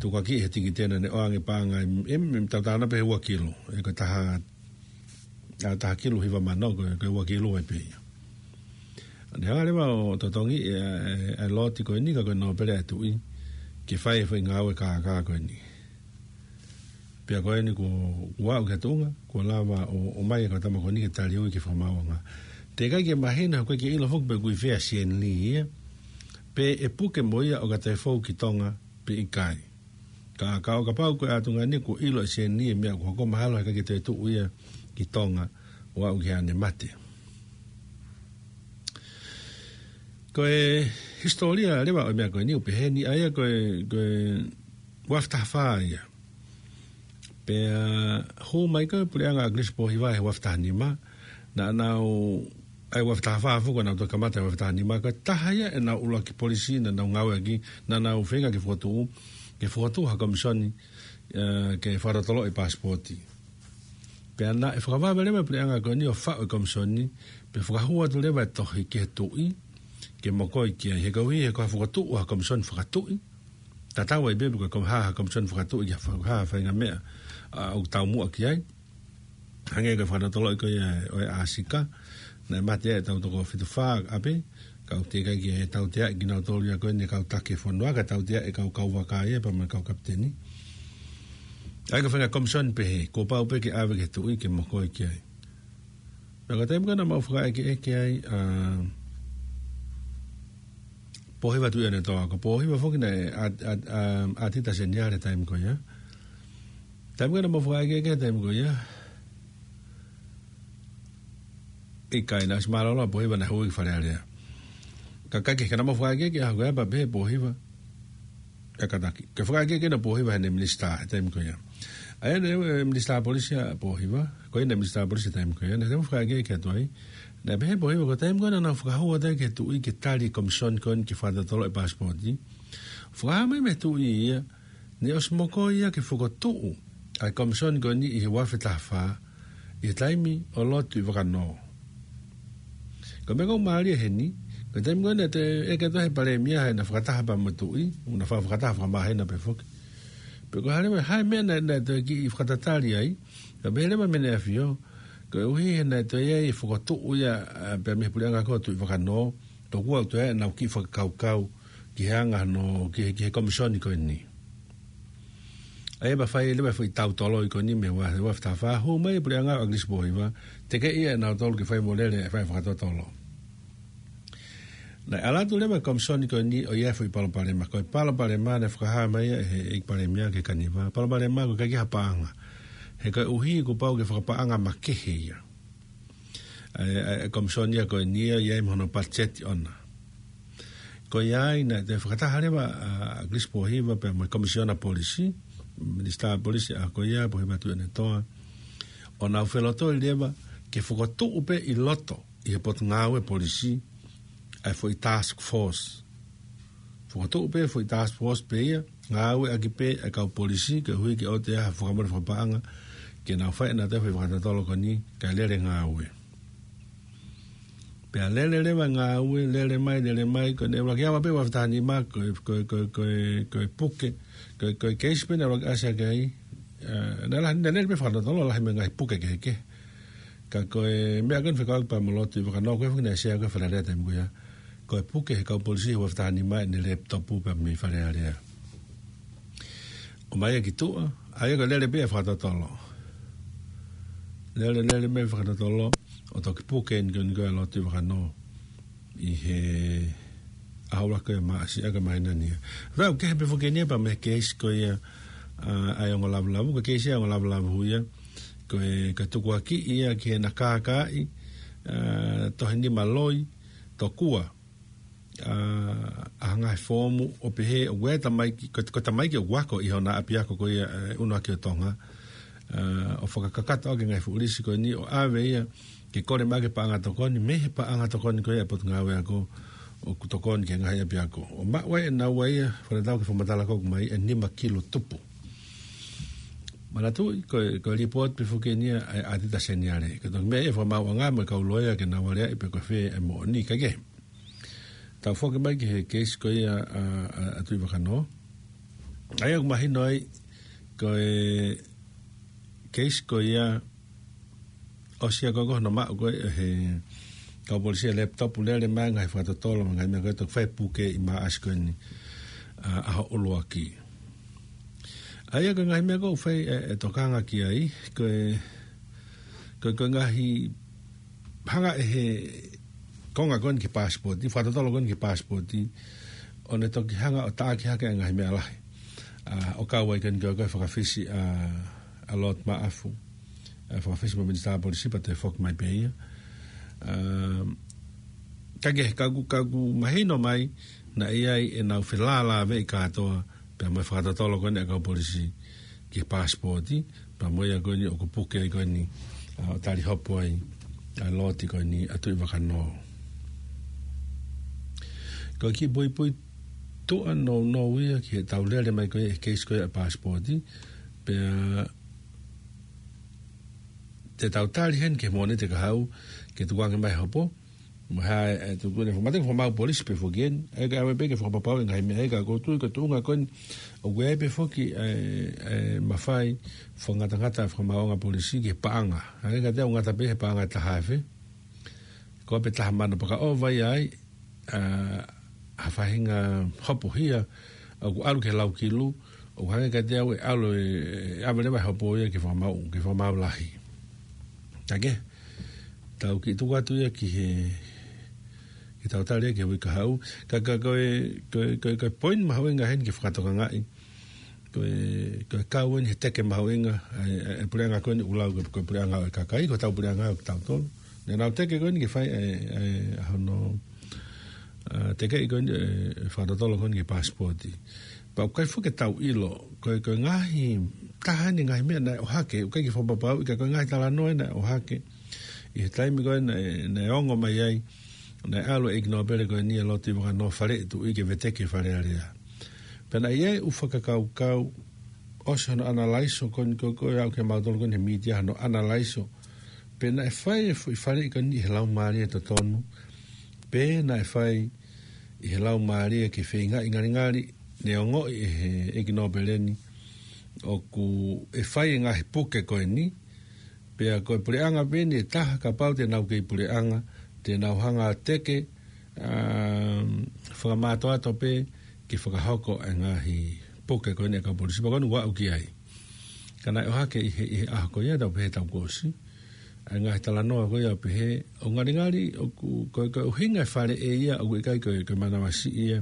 tukuakiʻi he tikite naʻa ne ʻoange paʻanga ʻe, ʻe, ʻe tautau pē he ua kilu, ʻe ko e taha, ʻa, taha kilu hiva mano, ko e, ko e ua kilu ai pē ia. ʻA ia ne hanga leva ʻo totongi ʻe, ʻe, ʻe Loti ko eni ka ko e nōpele ʻa e tuʻi, ke fai e foʻi ngāue kākā ko eni. Pea ko eni kuo, kuo aʻu ki he tuʻunga, kuo lava ʻo, ʻomai ʻa e kau tama ko eni ke taliui ki he fakamaauʻanga. Teʻeki ai ke mahino, ʻoku ʻikai ke ʻilo foki pe ʻoku ʻi fē ʻa Sieni Lī ia, pe ʻe puke mo ia ʻo ka toe fou ki Tonga pe ʻikai. Ka, ka ʻo kapau ko e ʻatunga ni kuo ʻilo ʻe Sieni Lī e meʻa kuo hoko, mahalo heʻikai ke toe tuʻu ia ki Tonga ʻo aʻu ki heʻene mate. Ko e hisitōlia leva ʻo e meʻa ko eni ʻoku pehē ni, ʻa ia ko e, ko e ua afe taha fā ia. Pea hū mai ko e puleʻanga ʻa ʻAkilisi Pōhiva he ua afe taha nima, naʻa nau, ʻa e ua afe taha fā foki naʻa nau toki kamata he ua afe taha nima, ko e taha ia ʻenau ʻuluaki polisi naʻa nau ngāueʻaki, naʻa nau feinga ke fokotuʻu, ke fokotuʻu ha komisoni, ʻa, ke fakatotoloʻi paasipooti. Pea naʻe fakavave leva e puleʻanga ko eni ʻo faʻu e komisoni, pea fakahū atu leva e tohi ki he tuʻi, ke mokoi ki ai, he koeʻuhi he ko ha fokotuʻu ha komisoni fakatuʻi, tatau ai pē pe ko e kom-, ha, ha komisoni fakatuʻi ki ha fa-, ha faʻahinga meʻa, ʻa, ʻoku taumuʻa ki ai. Hangē ko e fakatotoloʻi ko ia ʻo e ʻAsika, naʻe mate ai ʻetau toko fitu fā ʻapē, ka ʻoku teʻeki ai ke tauteaʻi kinautolu ia ko eni kau taki fonua, ka tauteaʻi e kau, kau vaka ia pea mo e kau kapiteni. ʻA ia ko e faʻahinga komisoni pehē, kuo pau pē ke ʻave ki he tuʻi ke mokoi ki ai. Pea ko e taimi ko ē naʻa mau fakaʻekeʻeke ai, ʻa, Pōhiva Tuʻiʻonetoa, ko Pōhiva foki naʻe ʻa, ʻa, ʻa, ʻatita seniale taimi ko ia. Taimi ko ē naʻa mau fakaʻekeʻeke ai taimi ko ia, ʻikai, naʻe ʻosi mālōlō ʻa Pōhiva, naʻe hū ia ki Fale Alea. Ka ʻikai ke, ka naʻa mau fakaʻekeʻeke ʻaho ko ia pea pehē ʻe Pōhiva, ʻe kātaki, ke fakaʻekeʻeke ʻa Pōhiva heʻene minisitā he taimi ko ia. ʻA ia naʻe, ʻe, minisitā polisi ʻa Pōhiva, ko ia naʻe minisitā polisi he taimi ko ia, naʻa mau fakaʻekeʻeke atu ai. Naʻe pehē ʻe Pōhiva ko e taimi ko ē naʻa nau fakahū atu ai ki he tuʻi ke tali e komisoni ko eni ke fakatotoloʻi paasipooti, fakahā mai mei he tuʻi ia, naʻe ʻosi mokoi ia ke fokotuʻu ʻa e komisoni ko eni ʻi he ua afe taha fā, ʻi he taimi ʻo Loti Tuʻivakanō. Ko e meʻa ʻoku mālie heni, ko e taimi ko ē naʻe toe ʻeke atu ai ʻe he palēmia heʻena fakataha pea mo e tuʻi, ʻoku na fa-, fakataha fakamāhina pē foki. Pe ko e hā leva, hā e meʻa naʻe, naʻe toe kiʻi fakatatali ai, ka pehē leva ʻe Mene ʻAfio, koeʻuhi he naʻe toe ʻi ai e fokotuʻu ia, ʻa, pea mei he puleʻanga ko Tuʻivakanō, tokua ʻoku toe ʻi ai ʻenau kiʻi fakakaukau ki he anga hono, ki he, ki he komisoni ko eni. ʻA ia pea fai leva e foʻi tau toloi ko eni mei he ua, ua afe taha fā, hū mai e puleʻanga ʻo ʻAkilisi Pōhiva, tekeʻi ia ʻe nautolu ke fai mo lele e fai fakatotolo. Naʻe ʻalu atu leva e komisoni ko eni ʻo ʻi ai e foʻi palopalema, ko e palopalema naʻe fakahā mai ia ʻe he ʻEiki Palēmia Kehe Kaniva, palopalema ko e ʻikai ke ʻi ai ha paʻanga. He koeʻuhi kuo pau ke fakapaʻanga makehe ia. ʻA e, ʻa e, ʻa e komisoni ia ko eni ʻoku ʻi ai mo hono patiseti ʻona. Ko ia ai naʻe toe fakataha leva ʻa, ʻa ʻAkilisi Pōhiva pea mo e Komisiona Polisi, Minisitā Polisi ʻaho ko ia, Pōhiva Tuʻiʻonetoa, ʻo nau felotoi leva ke fokotuʻu pē ʻi loto ʻi he Potungāue Polisi ʻa e foʻi task force. Fokotuʻu pē foʻi task force pē ia, ngāueʻaki pē ʻa e kau polisi, koeʻuhi ke ʻoua te ʻi ai ha fakamolemole fakapaʻanga, ke nau fai ʻenautolu e foʻi fakatotolo ko eni, kae lele ngāue. Pea lele leva ngāue, lele mai, lele mai, ko ʻene ʻuluaki ava pē ua afe taha nima, ko e, ko e, ko e, ko e, ko e puke, ko e, ko e keisi pē naʻe ʻuluaki ʻasi hake ai, ʻa, naʻe lahi, naʻe lele pē fakatotolo, lahi mo e ngaahi puke kehekehe. Ka ko e meʻa ko eni fekauʻaki pea mo Loti Tuʻivakanō, ko e foki naʻe sea ko ē Fale Alea taimi ko ia. Ko e puke ʻe he kau polisi he ua afe taha nima ʻene lepitopu pea mei Fale Alea. ʻomai ia ki tuʻa, ʻa ia ko e lele pē ʻa e fakatotolo. Lele, lele mai e fakatotolo, ʻo toki puke eni ko eni ko e lotu ʻi Vakanō. ʻI he ʻaho ʻuluaki ʻo Maʻasi ʻa e māhina ni. Vau, kehe pē foki eni ia pea mo e keisi ko ia, ʻa, ʻa e ongo lavulavu, ko e keisi ʻa e ongo lavulavu ia, ko e, ko e tukuakiʻi ia ki heʻena kākaaʻi, ʻa, tohi nima loi, tokua, ʻa, ʻa e ngaahi foomu ʻo pehē ʻoku ʻi ai e tamaiki, ko, ko e tamaiki ʻoku ako ʻi hona ʻapiako ko ia, ʻe, ʻUnuaki ʻo Tonga, ʻa, ʻo fakakakato ʻaki e ngaahi fuʻu lisi ko eni ʻo ʻave ia ke kole mai ʻaki e paʻanga tokoni, mei he paʻanga tokoni ko ia ʻa e Potungāue Ako, ʻoku tokoni ki he ngaahi ʻapiako. ʻO maʻu ai ʻe naua ia, fakatatau ki he fakamatala ko ē ʻoku ʻomai, e nima kilu tupu. Manatuʻi, ko e, ko e lipooti pē foki eni ia ʻa e ʻAtita Seniale. Ko e toki meʻa ia ʻa e fakamaauʻanga mo e kau loea ke nau aleaʻi pe ko fē e moʻoni, kae kehe. Tau foki mai ki he keisi ko ia ʻa, ʻa, ʻa Tuʻi Vakanō. ʻA ia ʻoku mahino ai, ko e keisi ko ia ʻosi ia ko ē ko hono maʻu ko ē ʻe he kau polisi e laptop, lele mai e ngaahi fakatotolo mo e ngaahi meʻa ko ē, toki fai e puke ʻi Maʻasi ko eni, ʻa, ʻaho ʻuluaki. ʻA ia ko e ngaahi meʻa ko ē ʻoku fai e, e tokanga ki ai, ko e, ko e, ko e ngaahi hanga ʻe he konga ko eni ki he passport, ʻi he fakatotolo ko eni ki he passport, ʻo ne toki hanga ʻo taʻaki hake e ngaahi meʻa lahi. ʻA, ʻo kau ai ko eni ko e, ko e fakafisi ʻa, ʻa Lord Maʻafu, ʻa, fakafisi mo e Minisitā Polisi pea toe foki mai pē ia. ʻA, kae kehe, ka ʻoku, ka ʻoku mahino mai, naʻe ʻi ai ʻenau felālāveʻi kātoa, pea mo e fakatotolo ko eni ʻa e kau polisi ki he passport, pea mo ia ko eni ʻoku puke ai ko eni, ʻa, ʻo tali hopo ai ʻa e lotu ko eni ʻa Tuʻi Vakanō. Ko e kiʻi puipuituʻa nounou ia ki heʻetau lele mai ko ia he keisi ko ia ʻa e passport, pea te tau tali heni ki he Mōnite kahaʻu, ke tukuange mai e hopo, mo e hā e, e tuku ʻene fo-, mate ko e fakamaau polisi pē foki eni, ʻa ia kae ʻave pē ke fakapapauʻi e ngaahi meʻa ia, ka ʻoku ou tui ko e tuʻunga ko eni, ʻoku ʻi ai pē foki e, e mafai fakangatangata e fakamaauʻanga polisi ki he paʻanga. ʻA ia ka te u ngata pē he paʻanga ʻe taha afe. Ko e pē taha mano pea ka ʻova ia ai, ʻa, ha faʻahinga hopo hia, ʻoku ʻalu ki he lau kilu, ʻoku hangē kiate au ʻe ʻalu e, ʻe ʻave leva e hopo ia ki he fakamaau, ki he fakamaau lahi. Kae kehe, tau kiʻi tuku atu ia ki he, ke tau tali ia ki he uike kahaʻu. Ka, ka, ko e, ko e, ko e, ko e poini mahuʻinga heni ke fakatokangaʻi. Ko e, ko e kau eni he teke mahuʻinga, ʻa e, ʻa e, ʻa e puleʻanga ko eni ʻoku lau ko e, ko e puleʻanga ʻo e kakai, ko hotau puleʻanga ʻo kitautolu. Naʻa nau teke ko eni ke fai e, e, ʻa hono, ʻa, tekeʻi ko eni e, e fakatotolo ko eni ki he passport. Pea ʻoku ʻikai foki ke tau ʻilo, ko e, ko e ngaahi, taha eni e ngaahi meʻa naʻe ʻohake, ʻoku ʻikai ke fakapapauʻi ka ko e ngaahi talanoa naʻe ʻohake. ʻI he taimi ko ē naʻe, naʻe ongo mai ai, naʻe ʻalu e ʻEiki Nōpele ko eni ʻa Lord Vakanō, faleʻi e Tuʻi ke veteki e Fale Alea. Pea naʻe ʻi ai e ʻū fakakaukau, ʻosi hono ʻanalaiso ko eni ko ē, ko ē aʻu kia mautolu ko eni he mītia hono ʻanalaiso. Pe naʻe fai e foʻi faleʻi ko eni ʻi he laumālie totonu, pe naʻe fai ʻi he laumālie ke feingaʻi, ngalingali, ne ongoʻi ʻe he ʻEiki Nōpele ni ʻoku ʻe fai e ngaahi puke ko eni, pea ko e puleʻanga pē eni ʻe taha, kapau te nau kei puleʻanga, te nau hanga ʻo teke, um, fakamātoato pē ke fakahoko e ngaahi puke ko eni ʻa e kau polisi, pea ko eni ʻoku aʻu ki ai. Ka naʻe ʻohake ʻi he, ʻi he ʻaho ko ia, tau pehē he taʻu kuo ʻosi, ʻa e ngaahi talanoa ko ia ʻo pehē, ʻoku ngalingali, ʻoku, ko e, ko e ʻuhinga e faleʻi ia, ʻoku ʻikai ko e, ko e manavasiʻi ia,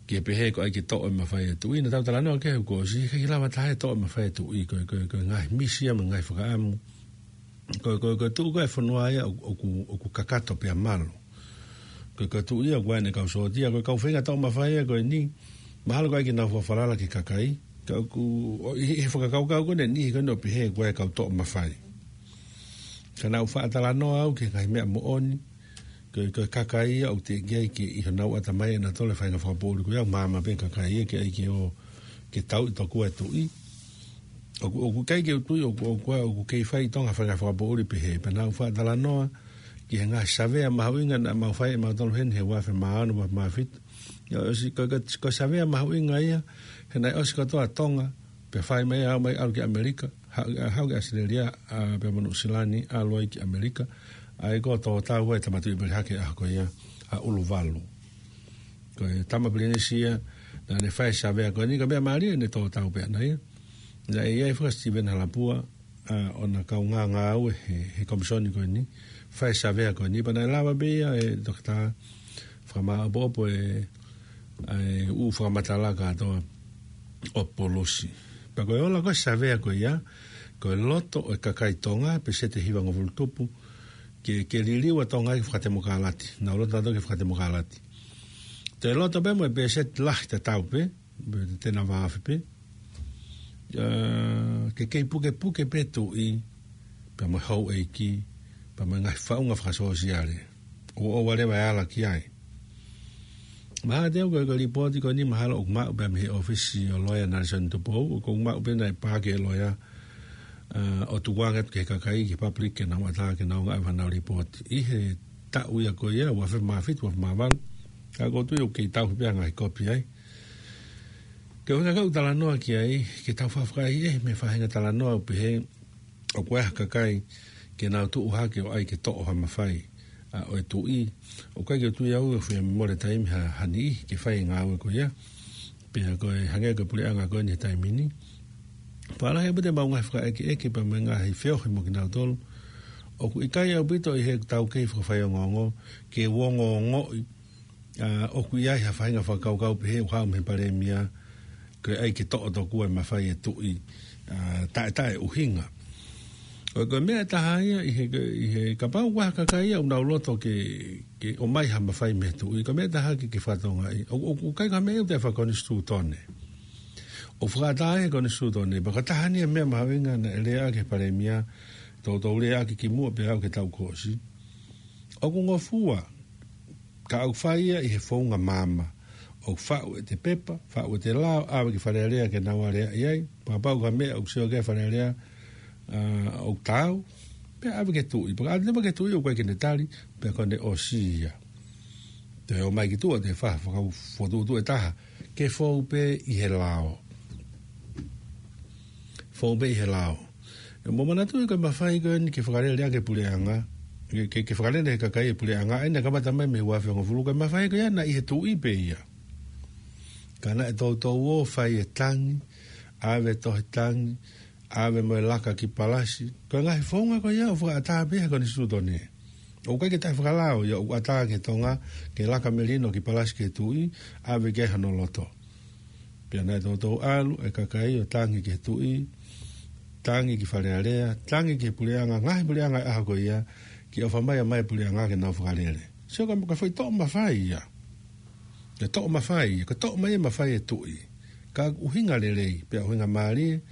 ke pehē ko e ʻai ke toʻo e mafai ʻa e Tuʻi. Naʻa tau talanoa ki he kuo ʻosi, ʻikai ke lava taha ia ʻo toʻo e mafai ʻa e Tuʻi, ko e, ko e, ko e ngaahi misi ia mo e ngaahi fakaʻamu. Ko e, ko e, ko e tuʻu ko ē e fonua ia ʻoku, ʻoku, ʻoku kakato pea malu. Ko e, ko e Tuʻi ia ʻoku ʻi ai ʻene kau sōtia, ko e kau feinga toʻo mafai ia ko eni, mahalo ko e ʻai ke nau fakafalala ki he kakai. Ka ʻoku, ʻo, ʻi, ʻi he fakakaukau ko eni, ʻi he ko eni ʻo pehē ko e kau toʻo mafai. Ka naʻa ku faʻa talanoa au ki he ngaahi meʻa moʻoni, ko e, ko e kakai ia ʻoku teʻeki ai ke ʻi honau ʻatamai ʻe nautolu e faʻahinga fakapoʻuli ko ia, maama pē kakai ia ke ʻai ke ō ke tauʻi tokua e Tuʻi. ʻOku, ʻoku ʻikai ke u tui, ʻoku, ʻoku, ʻoku kei fai ʻi Tonga faʻahinga fakapoʻuli pehē. Pea naʻa ku faʻa talanoa ki he ngaahi savea mahuʻinga naʻa mau fai ʻe mautolu heni he ua afe mā ono, ua afe mā fitu. ʻIo, ʻosi, ko, ko, ko e savea mahuʻinga ia, he naʻe ʻosi kotoa Tonga, pea fai mai ʻo aʻu mai ʻalu ki ʻAmelika, ha-, haʻu ki ʻAositelēlia, ʻa, pea mo Nuʻusila ni, ʻalu ai ki ʻAmelika, ʻa ia ko e tō tau ai Tama Tuʻipelehake ʻaho ko ia, ʻa ʻUluvalu. Ko e tama pilinisi ia, Naʻa ne fai e savea ko eni, ko e meʻa mālie ʻene tō tau pē ʻana ia. Naʻe ʻi ai foki ʻa Steven Halapua, ʻa, ʻo na kaungā ngāue he, he komisoni ko eni, fai e savea ko eni, pea naʻe lava pē ia ʻe Toketā fakamāʻopoʻopo e, ʻa e ʻū fakamatala kātoa ʻo e polosi. Pea ko e ola ko ē e savea ko ia, ko e loto ʻo e kakai Tonga, pēseti ʻe hivangofulu tupu, ke, ke liliu ʻa Tonga ki he fakatemokalati. Nau loto nautolu ki he fakatemokalati. Toe loto pē mo e pēseti lahi tatau pē, pē te na vāofi pē. ʻA, ke kei pukepuke pē tuʻi, pea mo e houʻeiki, pea mo e ngaahi faʻunga fakasōsiale. ʻO, ʻoua leva ʻe ala ki ai. Mahalo te u ko e, ko e lipooti ko eni mahalo ʻoku maʻu pē mei he ʻōfisi ʻo e loea Nelson Tupou, ʻoku maʻu pē naʻe paaki ʻe he loea, ʻa, ʻo tukuange atu ki he kakai, ki he public, ke nau ʻatā, ke nau ngāue ʻa ʻenau lipooti. ʻI he taʻu ia ko ia, ua afe mā fitu, ua afe mā valu. Ka ʻoku ou tui ʻoku kei tauhi pē ʻa e ngaahi kopi ai. Ko e ʻuhinga ʻoku ou talanoa ki ai, ke tau fakafakaʻi e meʻa faʻahinga talanoa ʻo pehē, ʻoku ʻi ai ha kakai ke nau tuʻu hake ʻo ʻai ke toʻo ha mafai, ʻa, ʻo e tuʻi. ʻOku ʻikai ke u tui au ʻe fie mole taimi ha, ha niʻihi ke fai e ngāue ko ia. Pea ko e hangē ko e puleʻanga ko eni he taimi ni. Pea lahi ʻaupito ʻemau ngaahi fakaʻekeʻeke pea mo e ngaahi feohi mo kinautolu. ʻOku ʻikai ʻaupito ʻi heʻetau kei fakafaiongoongo, ke u ongoongoʻi, ʻa, ʻoku ʻi ai ha faʻahinga fakakaukau pehē ʻoku haʻu mei he palēmia, ke ʻai ke toʻo tokua e mafai e tuʻi, ʻa, taʻe, taʻe ʻuhinga. Ko e, ko e meʻa ʻe taha ia ʻi he, ʻi he kapau ʻoku ʻi ai ha kakai ia ʻoku nau loto ke, ke ʻomai ha mafai mei he tuʻi, ko e meʻa ʻe taha ke, ke fakatokangaʻi. ʻO, ʻo, ʻoku ʻikai ko ha meʻa ia ʻoku taʻe fakakonisitūtone. ʻOku fakaʻatā ʻe he konisitūtone, pea ko e taha eni e meʻa mahuʻinga naʻe lea ʻaki ʻe he palēmia, toutou lea ʻaki kimuʻa pea aʻu ki he taʻu kuo ʻosi. ʻOku ngofua, ka ʻoku fai ia ʻi he founga maama. ʻOku faʻu ʻete pepa, faʻu ʻete lao, ʻave ki Fale Alea ke nau aleaʻi ai, pea kapau ko ha meʻa ʻoku sio ki ai Fale Alea, ʻa, ʻoku taau, pea ʻave ki he tuʻi. Pea ka ʻave ki he tuʻi ʻoku ʻikai ke ne tali, pea ko ʻene ʻosi ia. Toe ō mai ki tuʻa, toe fai ha fakafokotuʻutuʻu ʻe taha, ke fou pē ʻi he lao. Fou pē ʻi he lao. ʻE, mou manatuʻi ko e mafai ko eni ke fakalele ʻaki e puleʻanga, ke, ke, ke fakalele ʻe he kakai e puleʻanga, ʻa ia naʻe kamata mai mei he ua afe hongofulu, ko e mafai ko ia naʻe ʻi he tuʻi pē ia. Ka naʻe toutou ō ʻo fai e tangi, ʻave e tohi tangi, ʻave mo e laka ki Palasi. Ko e ngaahi founga ko ia ʻoku fakaʻatā pē ʻe he konisitūtone. ʻOku ʻikai ke taʻefakalao ia, ʻoku ʻatā ki he Tonga, ke laka melino ki Palasi ki he tuʻi, ʻave ki ai hono loto. Pea naʻe toutou ʻalu e kakai ʻo tangi ki he tuʻi, tangi ki Fale Alea, tangi ki he puleʻanga, ngaahi puleʻanga ʻi he ʻaho ko ia, ke ʻofa mai ʻa e puleʻanga ke nau fakalele. Sio ka, ka foʻi toʻo mafai ia. Ke toʻo mafai ia, ke toʻo mai e mafai e tuʻi. Ka ʻoku ʻuhinga lelei, pea ʻuhinga mālie,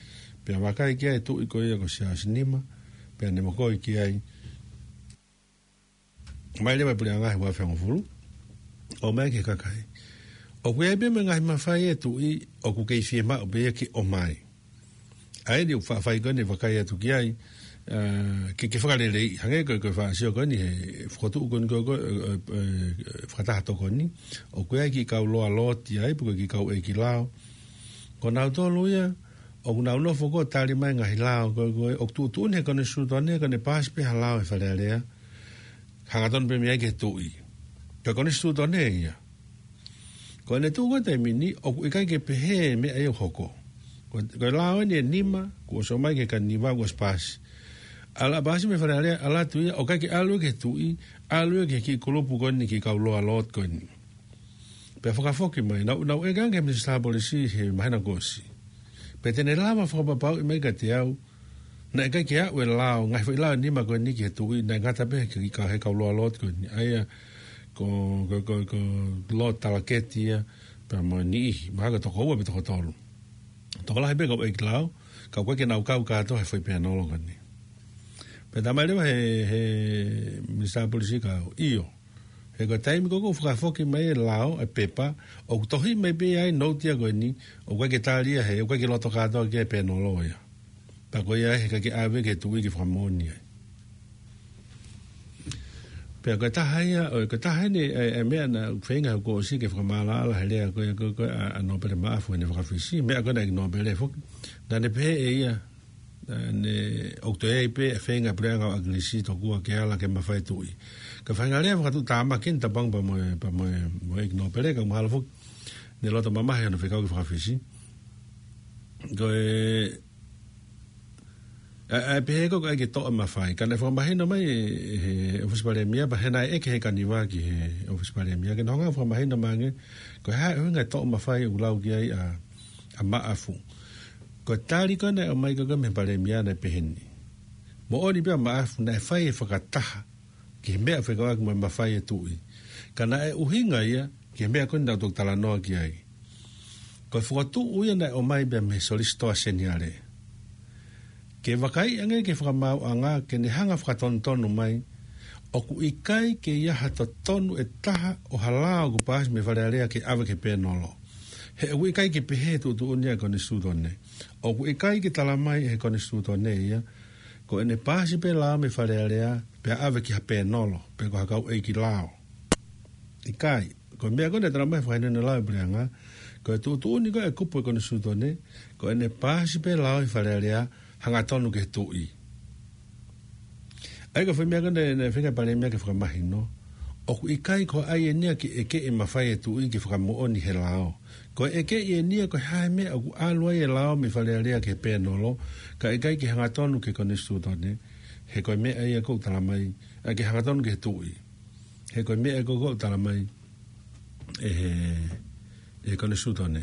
pea vakai ki ai e tuʻi ko ia ko Siaosi Nima, pea ne mokoi ki ai. Mai leva e puleʻanga he ua afe hongofulu, ʻomai ki he kakai. ʻOku ʻi ai pē mo e ngaahi mafai e tuʻi, ʻoku kei fiemaʻu pē ia ke ʻomai. ʻA ia ʻoku faʻa fai ko eni e vakai atu ki ai, ʻa, ke, ke fakaleleiʻi, hangē ko e, ko e faʻa sio ko eni he fokotuʻu ko eni ko e, ko e, ʻe, ʻe, fakataha tokoni, ʻoku ʻi ai e kiʻi kau loa loti ai, pe ko e kiʻi kau ʻeiki lao. Ko nautolu ia, ʻoku nau nofo ko ē ʻo tali mai e ngaahi lao, ko e, ko e, ʻoku tuʻutuʻuni ʻe he konisitūtone, ko ʻene paasi pē ha lao ʻe Fale Alea, hangatonu pē mei ai ki he tuʻi. Ko e konisitūtone ia. Ko ʻene tuʻu ko ē he taimi ni, ʻoku ʻikai ke pehē e meʻa ia ʻoku hoko. Ko, ko e lao eni ʻe nima, kuo ʻosi ʻomai ki he kaniniva, kuo ʻosi paasi. ʻAlu ʻa e paasi mei Fale Alea, ʻalu atu ia, ʻoku ʻikai ke ʻalu ia ki he tuʻi, ʻalu ia ki he kiʻi kulupu ko eni, kiʻi kau loa loti ko eni. Pea fakafoki mai, nau, nau ʻeke ange ki he Minisitā Polisi he māhina kuo ʻosi. Pe te ne lava fakapapauʻi mai kiate au, naʻe ʻikai ke aʻu e lao, ngaahi foʻi lao ʻe nima ko eni ki he tuʻi, naʻe ngata pē he kiʻi ka-, he kau loa loti ko eni. ʻA ia, ko, ko, ko, ko e loa talaketi ia, pea mo e niʻihi, mahalo ko e toko ua pe toko tolu. Tokolahi pē kau ʻeiki lao, ka ʻoku ʻikai ke nau kau kātoa he foʻi pēnolo ko eni. Pea talamai leva he, he Minisitā Polisi kia au, ʻio. He ko e taimi ko ē ʻoku fakafoki mai e lao, e pepa, ʻoku tohi mai pē ai e nōti ia ko eni, ʻoku ʻikai ke tali ia he, ʻoku ʻikai ke loto kātoa ki ai e pēnolo ia. Pea ko ia ai he ʻikai ke ʻave ki he tuʻi ke fakamoʻoni ai. Pea ko e taha ia, ʻo, ko e taha eni, e, e meʻa naʻe feinga ʻe he kuo ʻosi ke fakamaʻalaʻala he lea ko ē, ko ē, ko ē, ʻa, ʻa Nōpele Maʻafu ʻene fakafisi, meʻa ko ē naʻe ʻikai Nōpele foki. Naʻa ne pehē ʻe ia, ʻa, ne, ʻoku toe ʻi ai pē e feinga e puleʻanga ʻo ʻAkilisi tokua ke ala ki he mafai e tuʻi. Ko e faʻahinga lea fakatuʻutāmaki eni, tapu ange pea mo e, pea mo e, mo e ʻeiki Nōpele, ka mahalo foki ne loto mamahi hono fekau ki he fakafisi. Ko e, ʻa, ʻa e pehē ko ē ʻoku ʻai ke toʻo e mafai. Ka naʻe fakamahino mai ʻe, ʻe he ʻofisi palēmia, pea naʻe ʻeke ʻe he kaniva ki he ʻofisi palēmia, ke nau hanga ʻo fakamahino mai ange, ko e hā e ʻuhinga e toʻo mafai ʻoku lau ki ai ʻa, ʻa Maʻafu. Ko e tali ko ē naʻe ʻomai ko ē mei he palēmia naʻe pehē ni. Moʻoni pē ʻa Maʻafu naʻe fai e fakataha ki he meʻa fekauʻaki mo e mafai ʻa e tuʻi. Ka naʻe ʻuhinga ia ki he meʻa ko ē naʻa tau toki talanoa ki ai. Ko e fokotuʻu ia naʻe ʻomai pē mei he Solisitō Seniale. Ke vakaiʻi ange ki he fakamaauʻanga ke ne hanga ʻo fakatonutonu mai, ʻoku ʻikai ke ʻi ai ha totonu ʻe taha ʻo ha lao ʻoku paasi mei Fale Alea ke ʻave ki he pēnolo. He ʻoku ʻikai ke pehē e tuʻutuʻuni ʻa e Konisitūtone. ʻOku ʻikai ke tala mai ʻe he Konisitūtone ia, ko ʻene paasi pē lao mei Fale Alea, pea ʻave ki ha pēnolo, pe ko ha kau ʻeiki lao. ʻIkai, ko e meʻa ko ē naʻe tala mai he fakahinohino lao ʻa e Puleʻanga, ko e tuʻutuʻuni ko ē ʻa e kupu ʻo e Konisitūtone, ko ʻene paasi pē lao ʻi Fale Alea, hangatonu ki he tuʻi. ʻA ia ko e foʻi meʻa ko ē naʻe, naʻe feinga e palēmia ke fakamahino, ʻoku ʻikai ko e ʻai eni ia ke ʻeke e mafai ʻa e tuʻi ke fakamoʻoni he lao. Ko e ʻeke eni ia ko e hā e meʻa ʻoku ʻalu ai e lao mei Fale Alea ki he pēnolo, kae ʻikai ke hangatonu ki he Konisitūtone, he ko e meʻa ia ʻoku tala mai, ʻa, ke hangatonu ki he tuʻi. He ko e meʻa ʻoku tala mai ʻe he, ʻe he Konisitūtone.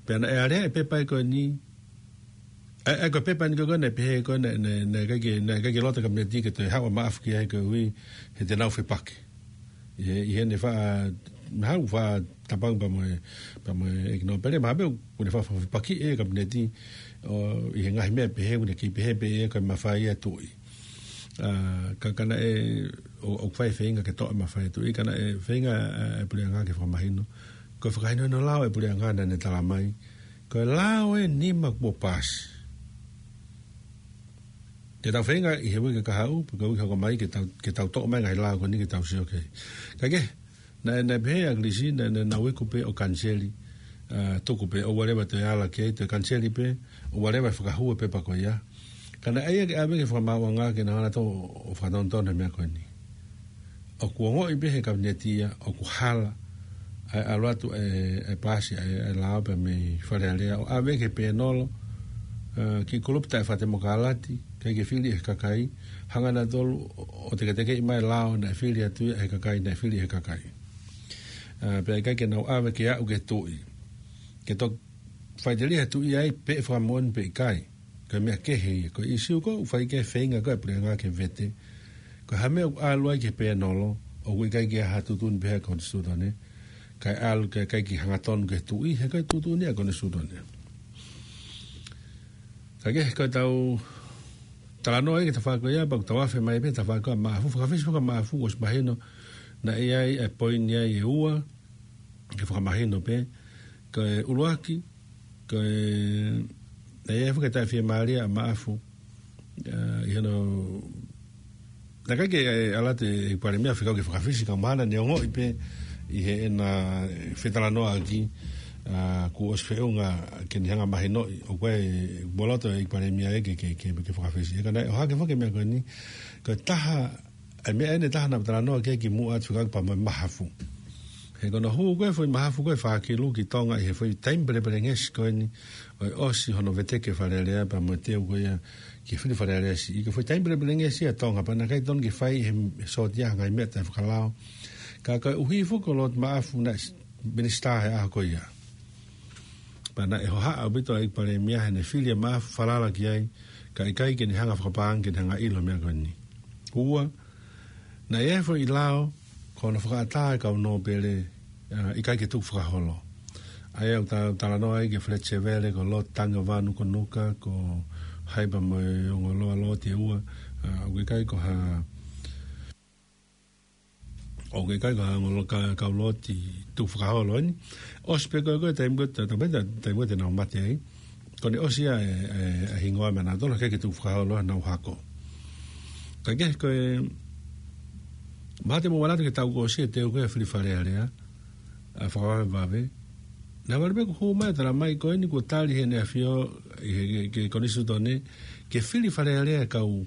Pea naʻe alea e pepa ko eni, ʻa, ʻa, ko e pepa eni ko ē naʻe pehē ko ē naʻe, naʻe, naʻe ʻikai ke, naʻe ʻikai ke loto e Kapineti ke toe haʻu ʻa Maʻafu ki ai koeʻuhi he te nau fepaki. ʻI he, ʻi heʻene faʻa, mahalo faʻa tapaku pea mo e, pea mo e ʻEiki Nōpele, mahalo pē ʻoku ne faʻa, faʻa fepaki e Kapineti, ʻo, ʻi he ngaahi meʻa pehē, ʻoku ne kei pehē pē ʻe ia ko e mafai ʻa e tuʻi. ʻA, ka, ka naʻe, ʻo, ʻoku fai e feinga ke toʻo e mafai ʻa e tuʻi, ka naʻe feinga, ʻa, e Puleʻanga ke fakamahino. Ko e fakahinohino lao ʻa e Puleʻanga naʻa ne tala mai, ko e lao ʻe nima kuo paasi. Te tau feinga ʻi he uike kahaʻu, pe ko e uike hoko mai, ke tau, ke tau toʻo mai e ngaahi lao ko eni ke tau sio ki ai. Ka ke, naʻe, naʻe pehē ʻe ʻAkilisi, naʻe, naʻe nau iku pē ʻo kaniseli, ʻa, tuku pē, ʻoua leva toe ala ki ai, toe kaniseli pē, ʻoua leva fakahū e pepa ko ia. Ka naʻe ʻai ia ke ʻave ki he fakamaauʻanga ke nau hanga ʻo fakatonutonu e meʻa ko eni. ʻOku ongoʻi pē ʻe he Kapineti ia, ʻoku hala, ʻa e ʻalu atu e, e paasi, ʻa e, e lao pea mei Fale Alea, ʻo ʻave ki he pēnolo, ʻa, ki he kulupu taʻefakatemokalati, ʻikai ke fili ʻe he kakai, hanga nautolu ʻo, ʻo teketekeʻi mai e lao naʻe fili atu ia ʻe he kakai, naʻe fili ʻe he kakai. ʻA, pea ʻikai ke nau ʻave ke aʻu ki he tuʻi. Ke toki faʻiteliha e tuʻi ai pe ʻe fakamoʻoni pe ʻikai. Ko e meʻa kehe ia, ko e ʻīsiu ko ē ʻoku fai ki ai e feinga ko ē ʻa e Puleʻanga ke vete. Ko e hā e meʻa ʻoku ʻalu ai ki he pēnolo, ʻoku ʻikai ke ʻi ai ha tuʻutuʻuni pehē ʻa e Konisitūtone, kae ʻalu ke ʻikai ke hangatonu ki he tuʻi, he ko e tuʻutuʻuni ʻa e Konisitūtone. Ka ke, ko ʻetau talanoa ia ki he tafaʻaki ko ia, pea ʻoku tau afe mai pē he tafaʻaki ko ē ʻa Maʻafu, fakafisi foki ʻa Maʻafu, ʻosi mahino, naʻe ʻi ai e poini ia ʻe ua, ke fakamahino pē, ko e ʻuluaki, ko e, naʻe ʻi ai foki e taʻefiemālie ʻa Maʻafu, ʻa, ʻi hono, naʻe ʻikai ke, ʻe, ʻalu atu e Palēmia ʻo fekau ki he fakafisi ka mahalo naʻa ne ongoʻi pē ʻi heʻena fetalanoaʻaki, ʻa, kuo ʻosi feʻunga ke ne hanga ʻo mahinoʻi, ʻoku ʻi ai, kuo loto e Palēmia ia ke, ke, ke, ke fakafisi. Ka naʻe ʻohake foki e meʻa ko eni, ko e taha, ʻa e meʻa eni ʻe taha naʻa ku talanoa ki ai kimuʻa atu fekauʻaki pea mo e mahafu. He ko hono hū ko ē e foʻi mahafu ko ē ʻe fā kilu ki Tonga ʻi he foʻi taimi pelepelengesi ko eni, ʻo e ʻosi hono veteki e Fale Alea pea mo e teu ko ia ki he fili Fale Alea siʻi. Ko e foʻi taimi pelepelengesi ia ʻa Tonga pea naʻe ʻikai totonu ke fai ʻe he, he sōtia ha ngaahi meʻa taʻefakalao. Ka koeʻuhi foki ko Lord Maʻafu naʻe s-, minisitā he ʻaho ko ia. Pea naʻe hohaʻa ʻaupito ʻa e ʻEiki Palēmia heʻene fili ʻa Maʻafu, falala ki ai, kae ʻikai ke ne hanga ʻo fakapaʻanga ke ne hanga ʻo ʻilo e meʻa ko eni. Ua, naʻe ʻi ai e foʻi lao, ko hono fakaʻatā e kau nōpele, ʻa, ʻikai ke tukufakaholo. ʻA ia ʻoku ta-, talanoa ai ki he Fred Sevele, ko Lord Tangi ʻo Vānukonuka, ko hai pea mo e ongo loa Lord ʻe ua, ʻa, ʻoku ʻikai ko ha, ʻoku ʻikai ko ha ongo loa ka-, kau Lord tukufakaholo eni. ʻOsi pē ko ē, ko e taimi ko ē, ta-, ta-, ta-, taimi ko ē te nau mate ai. Ko ʻene ʻosi ia e, e, e hingoa mei ʻanautolu, ʻikai ke tukufakaholo ʻenau hako. Ka ke, ko e, mahalo te mou manatu ki he taʻu kuo ʻosi e teu ko ē ʻa e fili Fale Alea, ʻa Fakavavevave. Naʻe ʻalu pē kuo hū mai e tala mai ko eni kuo tali ʻe Heʻene ʻAfio, ʻi he, ki he, ki he Konisitūtone, ke fili Fale Alea e kau,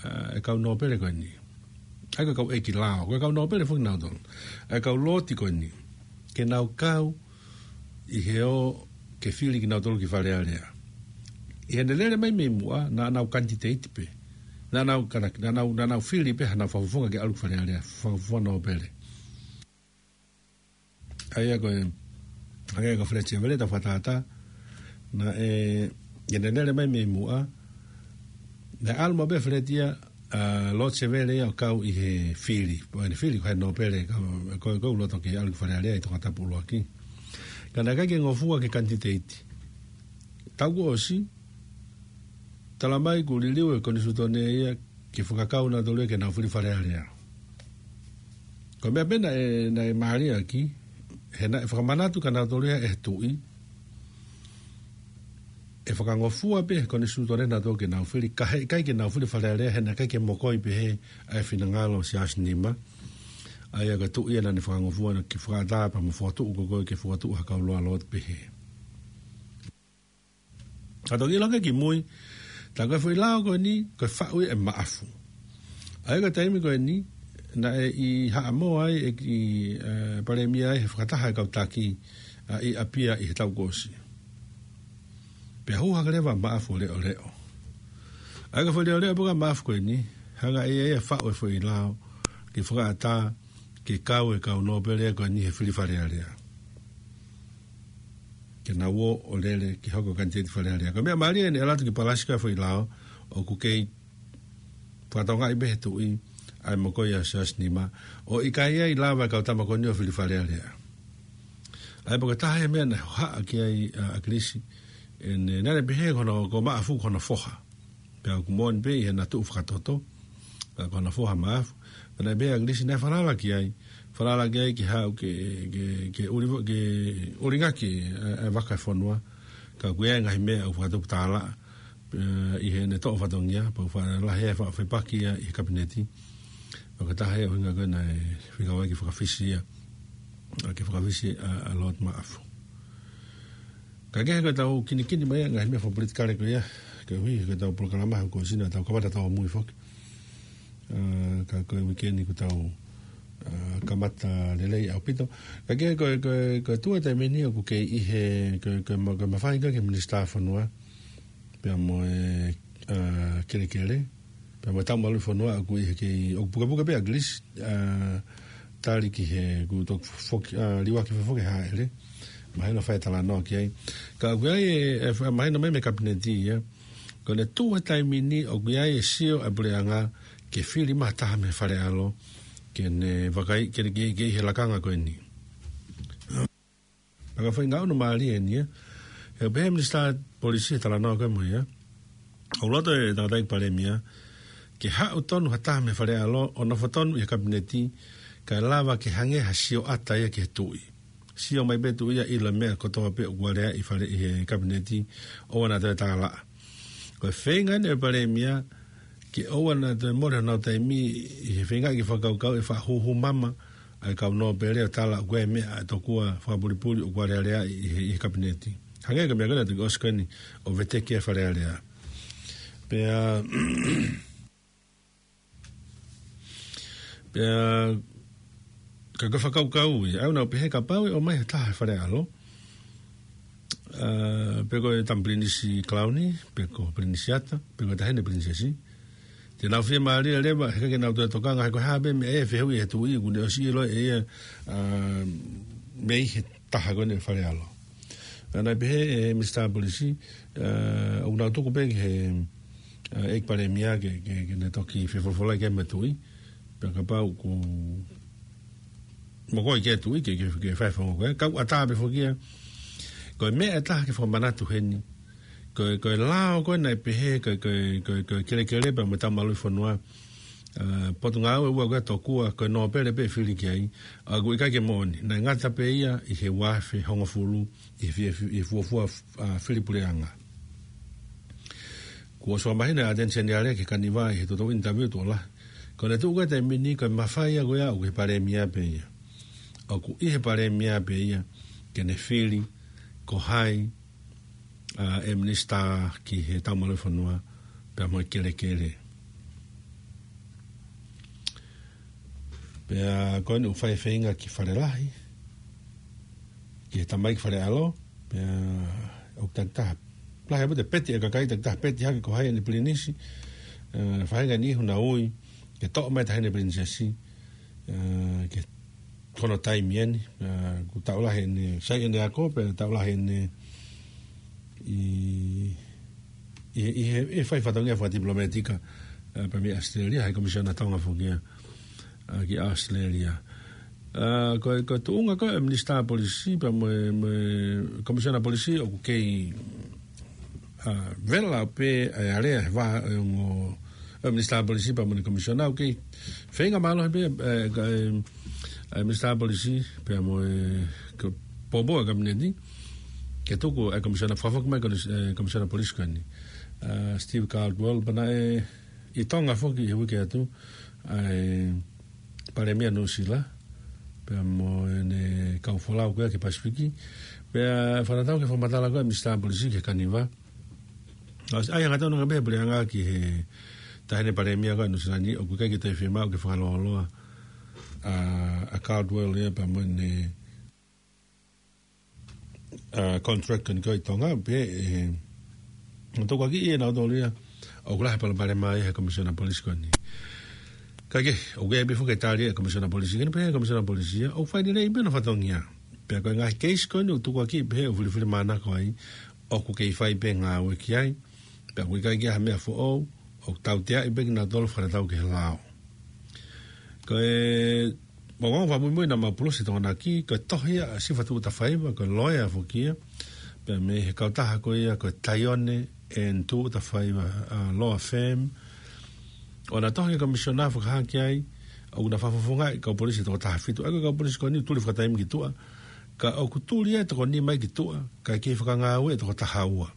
ʻa, e kau nōpele ko eni. ʻA ia ko e kau ʻeiki lao, ko e kau nōpele foki nautolu. ʻA e kau Lord ko eni. Ke nau kau, ʻi he ō ke fili kinautolu ki Fale Alea. ʻI heʻene lele mai mei muʻa, naʻa nau kanititeiti pē. Naʻa nau kanaki, naʻa nau, naʻa nau fili pē haʻanau fakafofonga ke ʻalu ki Fale Alea, fakafofonga nōpele. ʻA ia ko e, hangē ko Feleti Sevele, tau fakatātā, naʻe, ʻi heʻene lele mai mei muʻa, naʻe ʻalu maʻu pē Feleti ia, ʻa Lord Sevele ia ʻo kau ʻi he fili. Pea ʻi heʻene fili ko e nōpele, ka, ko, ko e loto ke ʻalu ki Fale Alea ʻi Tongatapu ʻuluaki. Ka naʻe ʻikai ke ngofua ke kanititeiti. Taʻu kuo ʻosi, tala mai kuo liliu ʻe he konisitūtone ia ke fakakau nautolu ia ke nau fili Fale Alea. Ko e meʻa pē naʻe, naʻe mālie ʻaki, he naʻe fakamanatu kia nautolu ia ʻe he tuʻi, ʻe fakangofua pē ʻe he konisitūtone nautolu ke nau fili, ka heʻikai ke nau fili Fale Alea, he naʻe ʻikai ke mokoi pehē ʻa e finangalo ʻo Siaosi Nima. ʻA ia ko e tuʻi ia naʻa ne fakangofua naʻa ke fakaʻatā pea mo fokotuʻu ko koe ke fokotuʻu ha kau loaloa pehē. Ka toki ʻilo ange ki mui, tā ko e foʻi lao ko eni, ko e faʻu ia ʻe Maʻafu. ʻA ia ko e taimi ko eni, naʻe ʻi Haʻamoa ai, ʻe, ʻi, ē, Palēmia ai, he fakataha e kau taki, ʻa, ʻi ʻApia ʻi he taʻu kuo ʻosi. Pea hū hake leva ʻa Maʻafu ʻo leʻoleʻo. ʻA ia ko e foʻi leʻoleʻo pē ko ē ʻa Maʻafu ko eni, hanga ʻe ia ia ʻo faʻu e foʻi lao, ke fakaʻatā, ke kau e kau nōpele ko eni he fili Fale Alea. Ke nau ō ʻo lele ke hoko ko e kanititeiti Fale Alea. Ko e meʻa mālie eni ʻa e ʻalu atu ki Palasi ko e foʻi lao, ʻoku kei fakatokangaʻi pē ʻe he tuʻi ʻa e mokoi ʻa Siaosi Nima, ʻo ʻikai ai lava e kau tama ko eni ʻo fili Fale Alea. ʻA ia pea ko e taha e meʻa naʻe hohaʻa ki ai ʻa, ʻa ʻAkilisi, ʻene, naʻa ne pehē ko hono, ko Maʻafu ko hono foha. Pea ʻoku moʻoni pē ʻi heʻena tuʻu fakatoto, ka ko hono foha ʻa Maʻafu. Pea naʻe pehē ʻe ʻAkilisi naʻe falala ki ai, falala ki ai ke haʻu ke, ke, ke ʻuli, ke ʻulingaki ʻa, ʻa e vaka ʻo e fonua, ka ʻoku ʻi ai e ngaahi meʻa ʻoku fakatupu tālaʻa, ē, ʻi heʻene toʻo fatongia, pea ʻoku faʻa lahi e faʻa fepaki ia ʻi he kapineti. Pea ko e taha e ʻuhinga ko ē naʻe fekau ai ke fakafisi ia, ʻa, ke fakafisi ʻa, ʻa Lord Maʻafu. Ka kehe ko ʻetau kinikini mai ʻa e ngaahi meʻa fakapolitikale ko ia, koeʻuhi ko ʻetau polokalama he kuo ʻosi naʻa tau kamata tau mui foki. Ā, ka ko e uike ni kuo tau, ā, kamata lelei ʻaupito. Ka kehe ko, ko, ko e tuʻu e taimi ni ʻoku kei ʻi he, ko, ko e ma-, ko e mafai ko ē ki he Minisitā Fonua, pea mo e, ā, kelekele, pea mo e Taumalu Fonua ʻoku ʻi he kei, ʻoku pukepuke pē ʻa ʻAkilisi, ā, tali ki he, kuo toki foki, ā, liuaki foki ʻe Haʻele. Mahino fai talanoa ki ai. Ka ʻoku ʻi ai e, e, mahino mai mei he kapineti ia. Ko ʻene tuʻu he taimi ni ʻoku ʻi ai e sio ʻa e puleʻanga ke fili mai ha taha mei he Fale ʻAlo, ke ne vakai, ke, ke, ke ʻi he lakanga ko eni. Pea ko e foʻi ngaʻunu mālie eni ia. He pehē ʻe he Minisitā Polisi he talanoa ko ē mo ia, ʻoku loto e tangataʻeiki Palēmia ke haʻu tonu ha taha mei he Fale ʻAlo ʻo nofo tonu ʻi he kapineti, kae lava ke hangē ha sioʻata ia ki he tuʻi. Sio mai pē tuʻi ia ʻilo e meʻa kotoa pē ʻoku alea ʻi Fale, ʻi he kapineti, ʻoua naʻa toe tālaʻa. Ko e feinga eni ʻa e Palēmia ke ʻoua naʻa toe mole honau taimi ʻi he feinga ke fakakaukau e faʻa hūhū mama ʻa e kau nōpele ʻo tala ʻoku ʻi ai e meʻa ʻe tokua fakapulipuli ʻoku alea ʻi he, ʻi he kapineti. Hangē ko e meʻa ko ē naʻe toki ʻosi ko eni ʻo veteki e Fale Alea. Pea, pea, ka ko e fakakaukau ia, ʻa ia naʻa ku pehē kapau ʻe ʻomai ha taha he Fale ʻAlo, ā, pe ko e tama Pilinisi Kalauni, pe ko Pilinisiata, pe ko e Taʻahine Pilinisesi, te nau fiemālie leva, he ʻikai ke nau toe tokanga, he ko e hā pē meʻa ʻe fehuʻi ʻe he tuʻi, kuo ne ʻosi ʻilo ʻe ia, ā, mei he taha ko eni ʻo e Fale ʻAlo. Ā, naʻe pehē ʻe he Minisitā Polisi, ā, ʻoku nau tuku pē ki he, ā, ʻEiki Palēmia ke, ke, ke ne toki fefolofola ki ai mo e tuʻi, pea kapau ʻoku mokoi ki ai e tuʻi ke, ke, ke fai e founga ko ē. Ka ʻoku ʻatā pē foki ia, ko e meʻa ʻe taha ke fakamanatu heni, ko e, ko e lao ko ē naʻe pehē, ko e, ko e, ko e, ko e kelekele pea mo e Taumalu Fonua, ā, potungāue ʻe ua ko ē tokua ko e nōpele pē ʻe fili ki ai, ʻa ia ʻoku ʻikai ke moʻoni. Naʻe ngata pē ia ʻi he ua afe hongofulu ʻi he fi-, fi-, ʻi he fuofua, ā, fili puleʻanga. Kuo ʻosi fakamahino ʻe ʻAteni Seniale ki he Kanivā ʻi he toʻotoʻo interview tuʻo lahi. Ko ʻene tuʻu ko ē he taimi ni ko e mafai ia ko ia ʻoku ʻi he Palēmia pē ia. ʻOku ʻi he Palēmia pē ia ke ne fili ko hai, ā, e Minisitā ki he Taumalu Fonua pea mo e kelekele. Pea ko eni ʻoku fai e feinga ki Fale Lahi. ʻi he tamaiki Fale ʻAlo, pea ʻoku takitaha. Lahi ʻaupito e peti ʻa e kakai, takitaha peti hake ko hai ʻene pilinisi, ē, faʻahinga e niʻihi ʻoku nau ui ke toʻo mai e taʻahine pilinisesi, ē, ki hono taimi eni, ē, kuo taʻu lahi ʻene, sai ʻene ako, pea taʻu lahi ʻene ʻi, ʻi, ʻi he, ʻi he fai fatongia fakatipilometika, ē, pea mei ʻAositelēlia, ʻa e Komisiona Tonga foki ia, ē, ki ʻAositelēlia. Ē, ko e, ko e tuʻunga ko ē ʻa e Minisitā Polisi, pea mo e, mo e Komisiona Polisi, ʻoku kei, ē, vela pē ʻa e alea he vā, ē, ongo, ʻa e Minisitā Polisi, pea mo e Komisiona, ʻoku kei feinga mālohi pē, ē, ka, ē, ʻa e Minisitā Polisi, pea mo e, ko e poupou ʻa e Kapineti, ke tuku ʻa e Komisiona, fakafoki mai ko eni, ē, Komisiona Polisi ko eni. Ē, Steve Cardwell, pea naʻe ʻi Tonga foki he uike atu, ʻa e Palēmia Nuʻusila, pea mo ʻene kau folau ko ia ki Pasifiki, pea fakatatau ki he fakamatala ko ē ʻa e Minisitā Polisi ki he Kaniva. ʻOsi ʻai hangatonu ange pē ʻa e puleʻanga ki he taʻahine Palēmia ko ē ʻa Nuʻusila ni, ʻoku ʻikai ke toe fiemaʻu ke fakalōloa ʻa, ʻa Cardwell ia pea mo ʻene, ē, contract ko eni ko ē ʻi Tonga, pea, ē, tokotaha ia naʻa nau tōlia, ʻoku lahi e palopalema ia he Komisiona Polisi ko eni. Kae kehe, ʻoku ʻi ai pē foki e tali ʻa e Komisiona Polisi, ko eni pē ʻa e Komisiona Polisi ia, ʻoku fai lelei pē hono fatongia. Pea ko e ngaahi keisi ko eni ʻoku tukuakiʻi pē ʻo filifilimānako ai, ʻoku kei fai pē ngāue ki ai, pea ʻoku ʻikai ke ʻi ai ha meʻa foʻou, ʻoku tauteaʻi pē kinautolu fakatatau ki he lao. Ko e, ʻoku ou fakamuimui naʻa mau pulusi Tokonaki, ko e tohi ia ʻa Sifa Tuʻutafaiva, ko e loea foki ia, pea mei he kautaha ko ia, ko e Taione and Tuʻutafaiva, ē, Law Firm. ʻOku na tohi ki he Komisiona fakahā ki ai, ʻoku na fakafofongaʻi e kau polisi ʻe toko taha fitu. ʻA ia ko e kau polisi ko eni ʻoku tuli fakataimi ki tuʻa, ka ʻoku tuli ʻa e toko nima ia ki tuʻa, kae kei fakangāue ʻa e toko taha ua.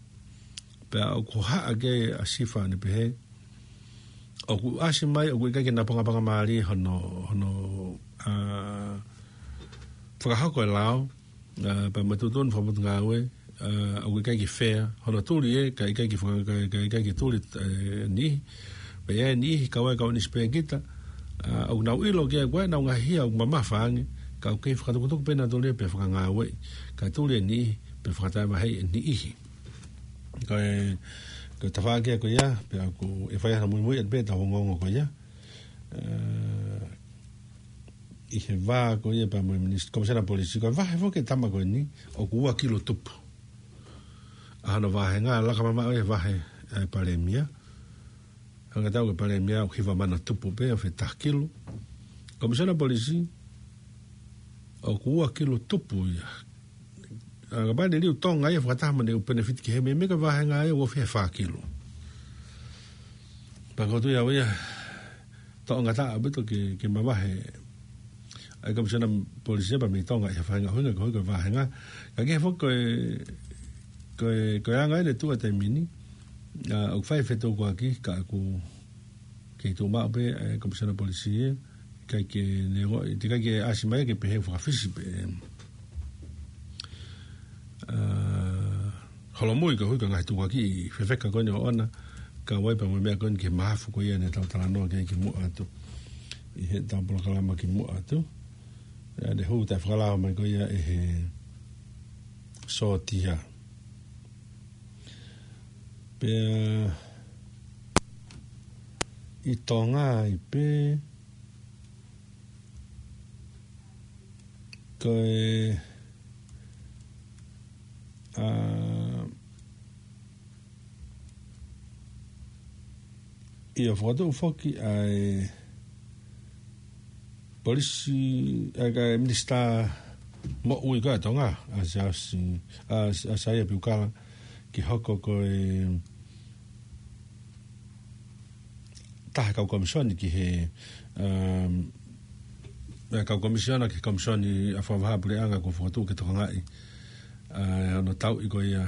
Pea ʻoku hohaʻa ki ai ʻa Sifa ʻo ne pehē, ʻoku ʻasi mai, ʻoku ʻikai ke napangapangamālie hono, hono, ē, fakahoko e lao, ē, pea mo e tuʻutuʻuni fakapotungāue, ē, ʻoku ʻikai ke fair, hono tuli ē, kae ʻikai ke faka-, kae, kae ʻikai ke tuli, ē, niʻihi. Pea ʻi ai e niʻihi, kau ai e kau nisipēkita, ē, ʻoku nau ʻilo ki ai ko ē ʻenau ngaahi hia ʻoku mamafa ange, ka ʻoku kei fakatukutuku pē nautolu ia pea fakangāueʻi, kae tuli e niʻihi, pea fakataʻevaheʻi e niʻihi. Ko e, ko e tafaʻaki ia ko ia, pea ʻoku, ʻe fai hano muimui atu pē ʻetau ongoongo ko ia. Ē, ʻi he vā ko ia pea mo e Minis-, Komisiona Polisi, ko e vahe foki e tama ko eni, ʻoku ua kilo tupu. ʻA hono vāhenga, laka mamaʻo ia he vahe ʻa e Palēmia. Hanga ʻo tau ko e Palēmia ʻoku hiva mano tupu pē ʻo fetaha kilo. Komisiona Polisi, ʻoku ua kilo tupu ia. Ā, kapau ʻe liliu Tonga ia fakataha mo ʻene ʻū penefiti ki he meʻa, meʻa ko e vāhenga ia ʻoku ofi he fā kilo. Pea ʻoku ou tui au ia, toʻongataʻa ʻaupito ke, ke mavahe ʻa e Komisiona Polisi ia pea mei Tonga ʻi he faʻahinga ʻuhinga ko hono vāhenga. Kae kehe foki ko e, ko e, ko e anga ʻene tuʻu ʻa e taimi ni, ā, ʻoku fai e fetukuaki, ka ʻoku kei tuʻu maʻu pē ʻa e Komisiona Polisi ia, ʻikai ke ne ongoʻi, teʻeki ai ke ʻasi mai ke pehē ʻoku fakafisi pē, ā, holomui koeʻuhi ko e ngaahi tukuakiʻi fefeka ko eni ʻoʻona, kau ai pea mo e meʻa ko eni ki he mahafu ko ia ne tau talanoa ki ai kimuʻa atu. ʻI heʻetau polokalama kimuʻa atu. ʻA ia ne hū taʻefakalao mai ko ia ʻe he sōtia. Pea ʻi Tonga ai pē, ko e, ā, ʻio, fokotuʻu foki ʻa e polisi, ʻa e, ʻa e Minisitā Moʻui ko ē ʻa Tonga, ʻa Siaosi, ʻa, ʻa Saia Piukala, ke hoko ko e taha e kau komisiona ki he, um, e kau komisiona ki he Komisioni ʻa e Fakavahaʻapuleʻanga kuo fokotuʻu ke tokangaʻi, ā, hono tauʻi ko ia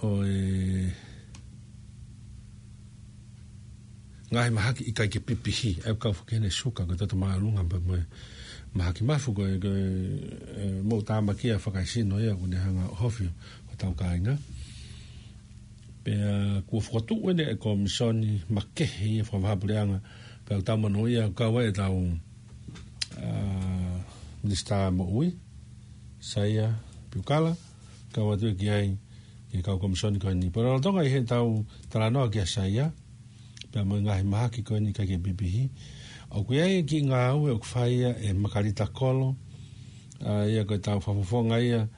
ʻo e ngaahi mahaki ʻikai ke pipihi, ʻa ia ʻoku kau foki heni e suka, ko e toto māʻolunga pea mo e mahaki mafu ko e, ko e, ē, moʻutāmaki ia fakaesino ia ʻoku ne hanga ʻo ʻohofi hotau kāinga. Pea kuo fokotuʻu eni e komisiona makehe ia fakavahaʻapuleʻanga, pea ʻoku tau monūʻia ʻoku kau ai ʻetau, ā, Minisitā Moʻui, Saia Piukala, kau atu ki ai ki he kau komisoni ko eni. Pea lolotonga ʻi heʻetau talanoa kia Saia, pea mo e ngaahi mahaki ko eni ʻikai ke pipihi, ʻoku ʻi ai e kiʻi ngāue ʻoku fai ia ʻe Makalita Kolo, ʻa ia ko ʻetau fakafofonga ia,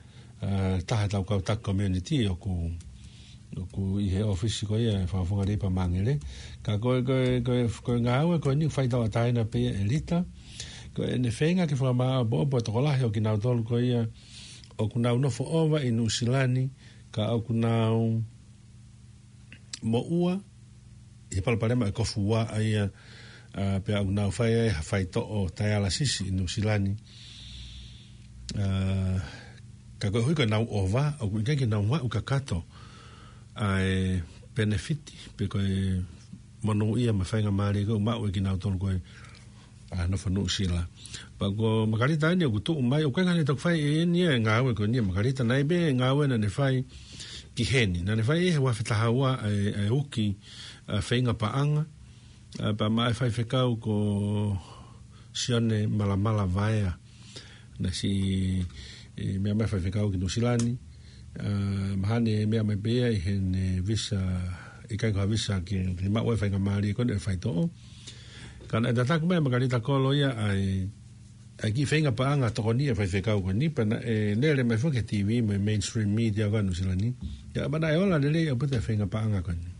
ʻa, taha ʻetau kau taki community ʻoku, ʻoku ʻi he ʻōfisi ko ia ʻo e Fakafofonga Leipa Māngere. Ka ko e, ko e, ko e, ko e ngāue ko eni fai tauʻatāina pē ia ʻe Lita. Ko ʻene feinga ke fakamāʻopoʻopo e tokolahi ʻo kinautolu ko ia ʻoku nau nofo ʻova ʻi Nuʻusila ni, ka ʻoku nau moʻua ʻi he palopalema ʻo e kofuua ʻa ia, ʻa, pea ʻoku nau fai ai ha faitoʻo taialasisi ʻi Nuʻusila ni. ʻA, ka koeʻuhi ko ʻenau ʻova, ʻoku ʻikai ke nau maʻu kakato ʻa e penefiti, pe ko e monūʻia mo e faingamālie ko ē ʻoku maʻu ʻe kinautolu ko ē ʻa e nofo Nuʻusila. Pea ko Makalita eni ʻoku tuʻu mai, ʻoku ʻikai ke ne toki fai ʻe ia e ngāue ko eni ʻa Makalita, naʻe ʻi ai pē ngāue naʻa ne fai ki heni. Naʻa ne fai ʻi he ua afe taha ua ʻa e, ʻa e uki, ʻa, feinga paʻanga, ʻa, pea maʻa e faifekau ko Sione Malamala Vaea. Naʻe siʻi, ʻe, meʻa mai faifekau ki Nuʻusila ni, ʻa, mahalo ne meʻa mai pē ia ʻi heʻene visa, ʻikai ko ha visa ke, ke maʻu e faingamālie ko eni ʻo e faitoʻo. Ka naʻe tataki mai ʻe Makalita Kolo ia ʻa e, ʻa e kiʻi feinga paʻanga tokoni ʻa e faifekau ko eni, pea naʻe lele mai foki ki he T V mo e mainstream media ko ē ʻa Nuʻusila ni. ʻIo, pea naʻe ola lelei ʻaupito e feinga paʻanga ko eni.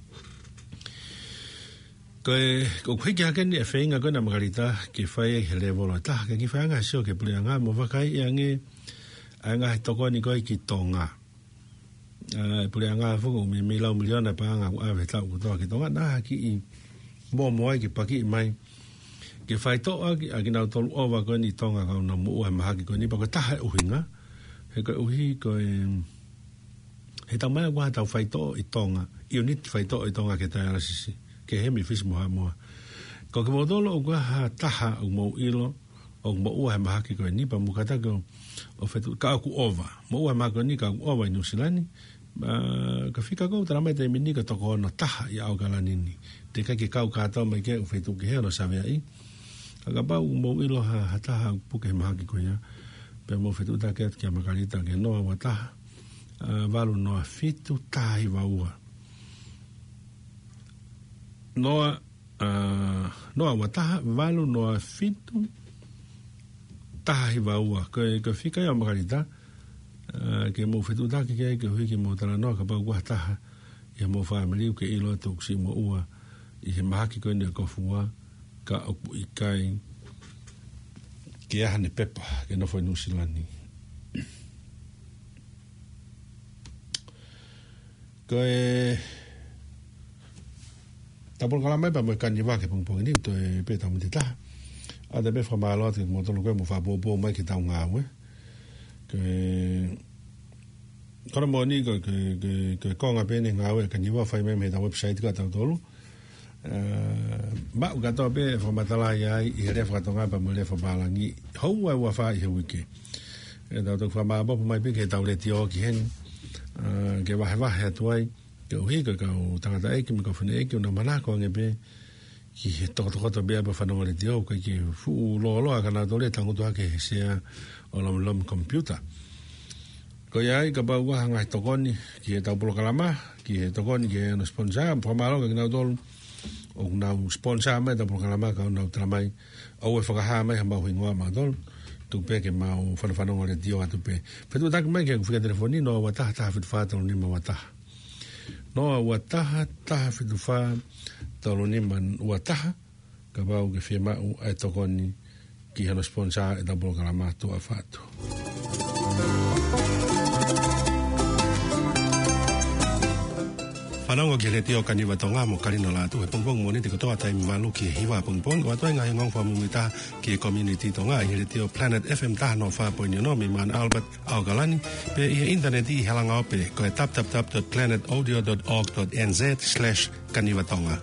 Ko e, ʻoku hiki hake eni e feinga ko ena ʻa Makalita ke fai he lēvolo ʻe taha, ke kiʻi faiʻanga ha sio ki he puleʻanga mo vakaiʻi ange ʻa e ngaahi tokoni ko ē ki Tonga. ʻA, e puleʻanga foki ʻoku meimei lau miliona e paʻanga ʻoku ʻave he taʻu kotoa ki Tonga, naʻa ha kiʻi mōmoa ai ke pakiʻi mai ke faitoʻo ʻaki ʻa kinautolu ʻova ko eni ʻi Tonga ka ʻoku nau moʻua he mahaki ko eni, pea ko e taha e ʻuhinga, he koeʻuhi ko e, he taumaiā ʻoku ʻi ai haʻatau faitoʻo ʻi Tonga, ʻiuniti faitoʻo ʻi Tonga ki he taialasisi, ki he hemifisi mo Haʻamoa. Ka ko kimoutolu ʻoku ʻi ai ha taha ʻoku mou ʻilo ʻoku moʻua he mahaki ko eni, pea mou kātaki ʻo, ʻo fetuʻu, ka ʻoku ʻova. Moʻua he mahaki ko eni ka ʻoku ʻova ʻi Nuʻusila ni. ʻA, ko e fika ʻoku tala mai he taimi ni ko e toko ono taha ʻi ʻAokalani ni. Teʻeki ai ke kau kātoa mai ki ai, ʻoku fetuʻu kehe hono saveaʻi. Ka kapau ʻoku mou ʻilo ha, ha taha ʻoku puke he mahaki ko ia, pea mou fetuʻutaki atu kia Makalita ki he noa ua taha, ʻa, valu noa fitu taha hiva ua. Noa, ʻa, noa ua taha, valu noa fitu taha hiva ua. Ko e, ko e fika ia ʻo Makalita, ʻa, ke mou fetuʻutaki ki ai koeʻuhi ke mou talanoa kapau ʻoku ʻi ai ha taha ʻi homou fāmili ʻoku ke ʻilo atu ʻoku siʻi moʻua ʻi he mahaki ko eni ʻo e kofuua, ka ʻoku ʻikai ke ʻi ai haʻane pepa ke nofo ʻi Nuʻusila ni. Ko ʻetau polokalama ia pea mo e kaniva ki he pongipongi ni, toe pē ʻetau miniti ʻe taha. ʻA, te u pehē fakamālō atu kiate kimoutolu ko ē ʻoku mou fakapoupou mai ki heʻetau ngāue. Ko e, ko hono moʻoni ko e, ko e, ko e, ko e konga pē eni e ngāue ʻa e kaniva ʻoku fai mai mei heʻetau website ko ē ʻatautolu. ʻA, maʻu kātoa pē e fakamatala ia ai ʻi he lea faka-Tonga pea mo e lea fakapālangi. Houa ʻe ua fā ʻi he uike. ʻE tau toki fakamāʻopoʻopo mai pē ki heʻetau letiō ki heni, ʻa, ke vahevahe atu ai, koeʻuhi ko e kau tangataʻeiki mo e kau fineʻeiki ʻoku nau manako ange pē ki he tokotokoto pē ʻa e fanongo letiō, ʻoku ʻikai ke fuʻu lōloa ka nau tole tangutu hake he sea ʻo e lomilomi komipiuta. Ko ia ai, kapau ʻoku ʻi ai ha ngaahi tokoni ki heʻetau polokalama, ki he tokoni ki hono sponsor, fakamālō kia kinautolu ʻoku nau sponsor mai ʻetau polokalama, ka ʻoku nau tala mai ʻoua ʻe fakahā mai hamau hingoa mautolu, tuku pē ke mau fanofanongo letiō atu pē. Fetuʻutaki mai ki he fika telefoni noa ua taha, taha fitu fā, tolu nima ua taha. Noa ua taha, taha fitu fā, tolu nima ua taha, kapau ʻoku ke fiemaʻu ʻa e tokoni ki hono sponsor ʻetau polokalama Tuʻa Fatu. Fanongo ki he letiō Kaniva Tonga mo Kalino Lātū he pongipongi Mōnite kotoa taimi valu ki he hiva pongipongi, ʻo ʻoatu ai e ngaahi ongoongo fakamuimuitaha ki he community Tonga ʻi he letiō Planet F M taha noa fā poini ono mei Mount Albert, ʻAokalani, pea ʻi he ʻinitaneti ʻi he langaope ko e w w w dot planet audio dot org dot n z slash kaniva tonga.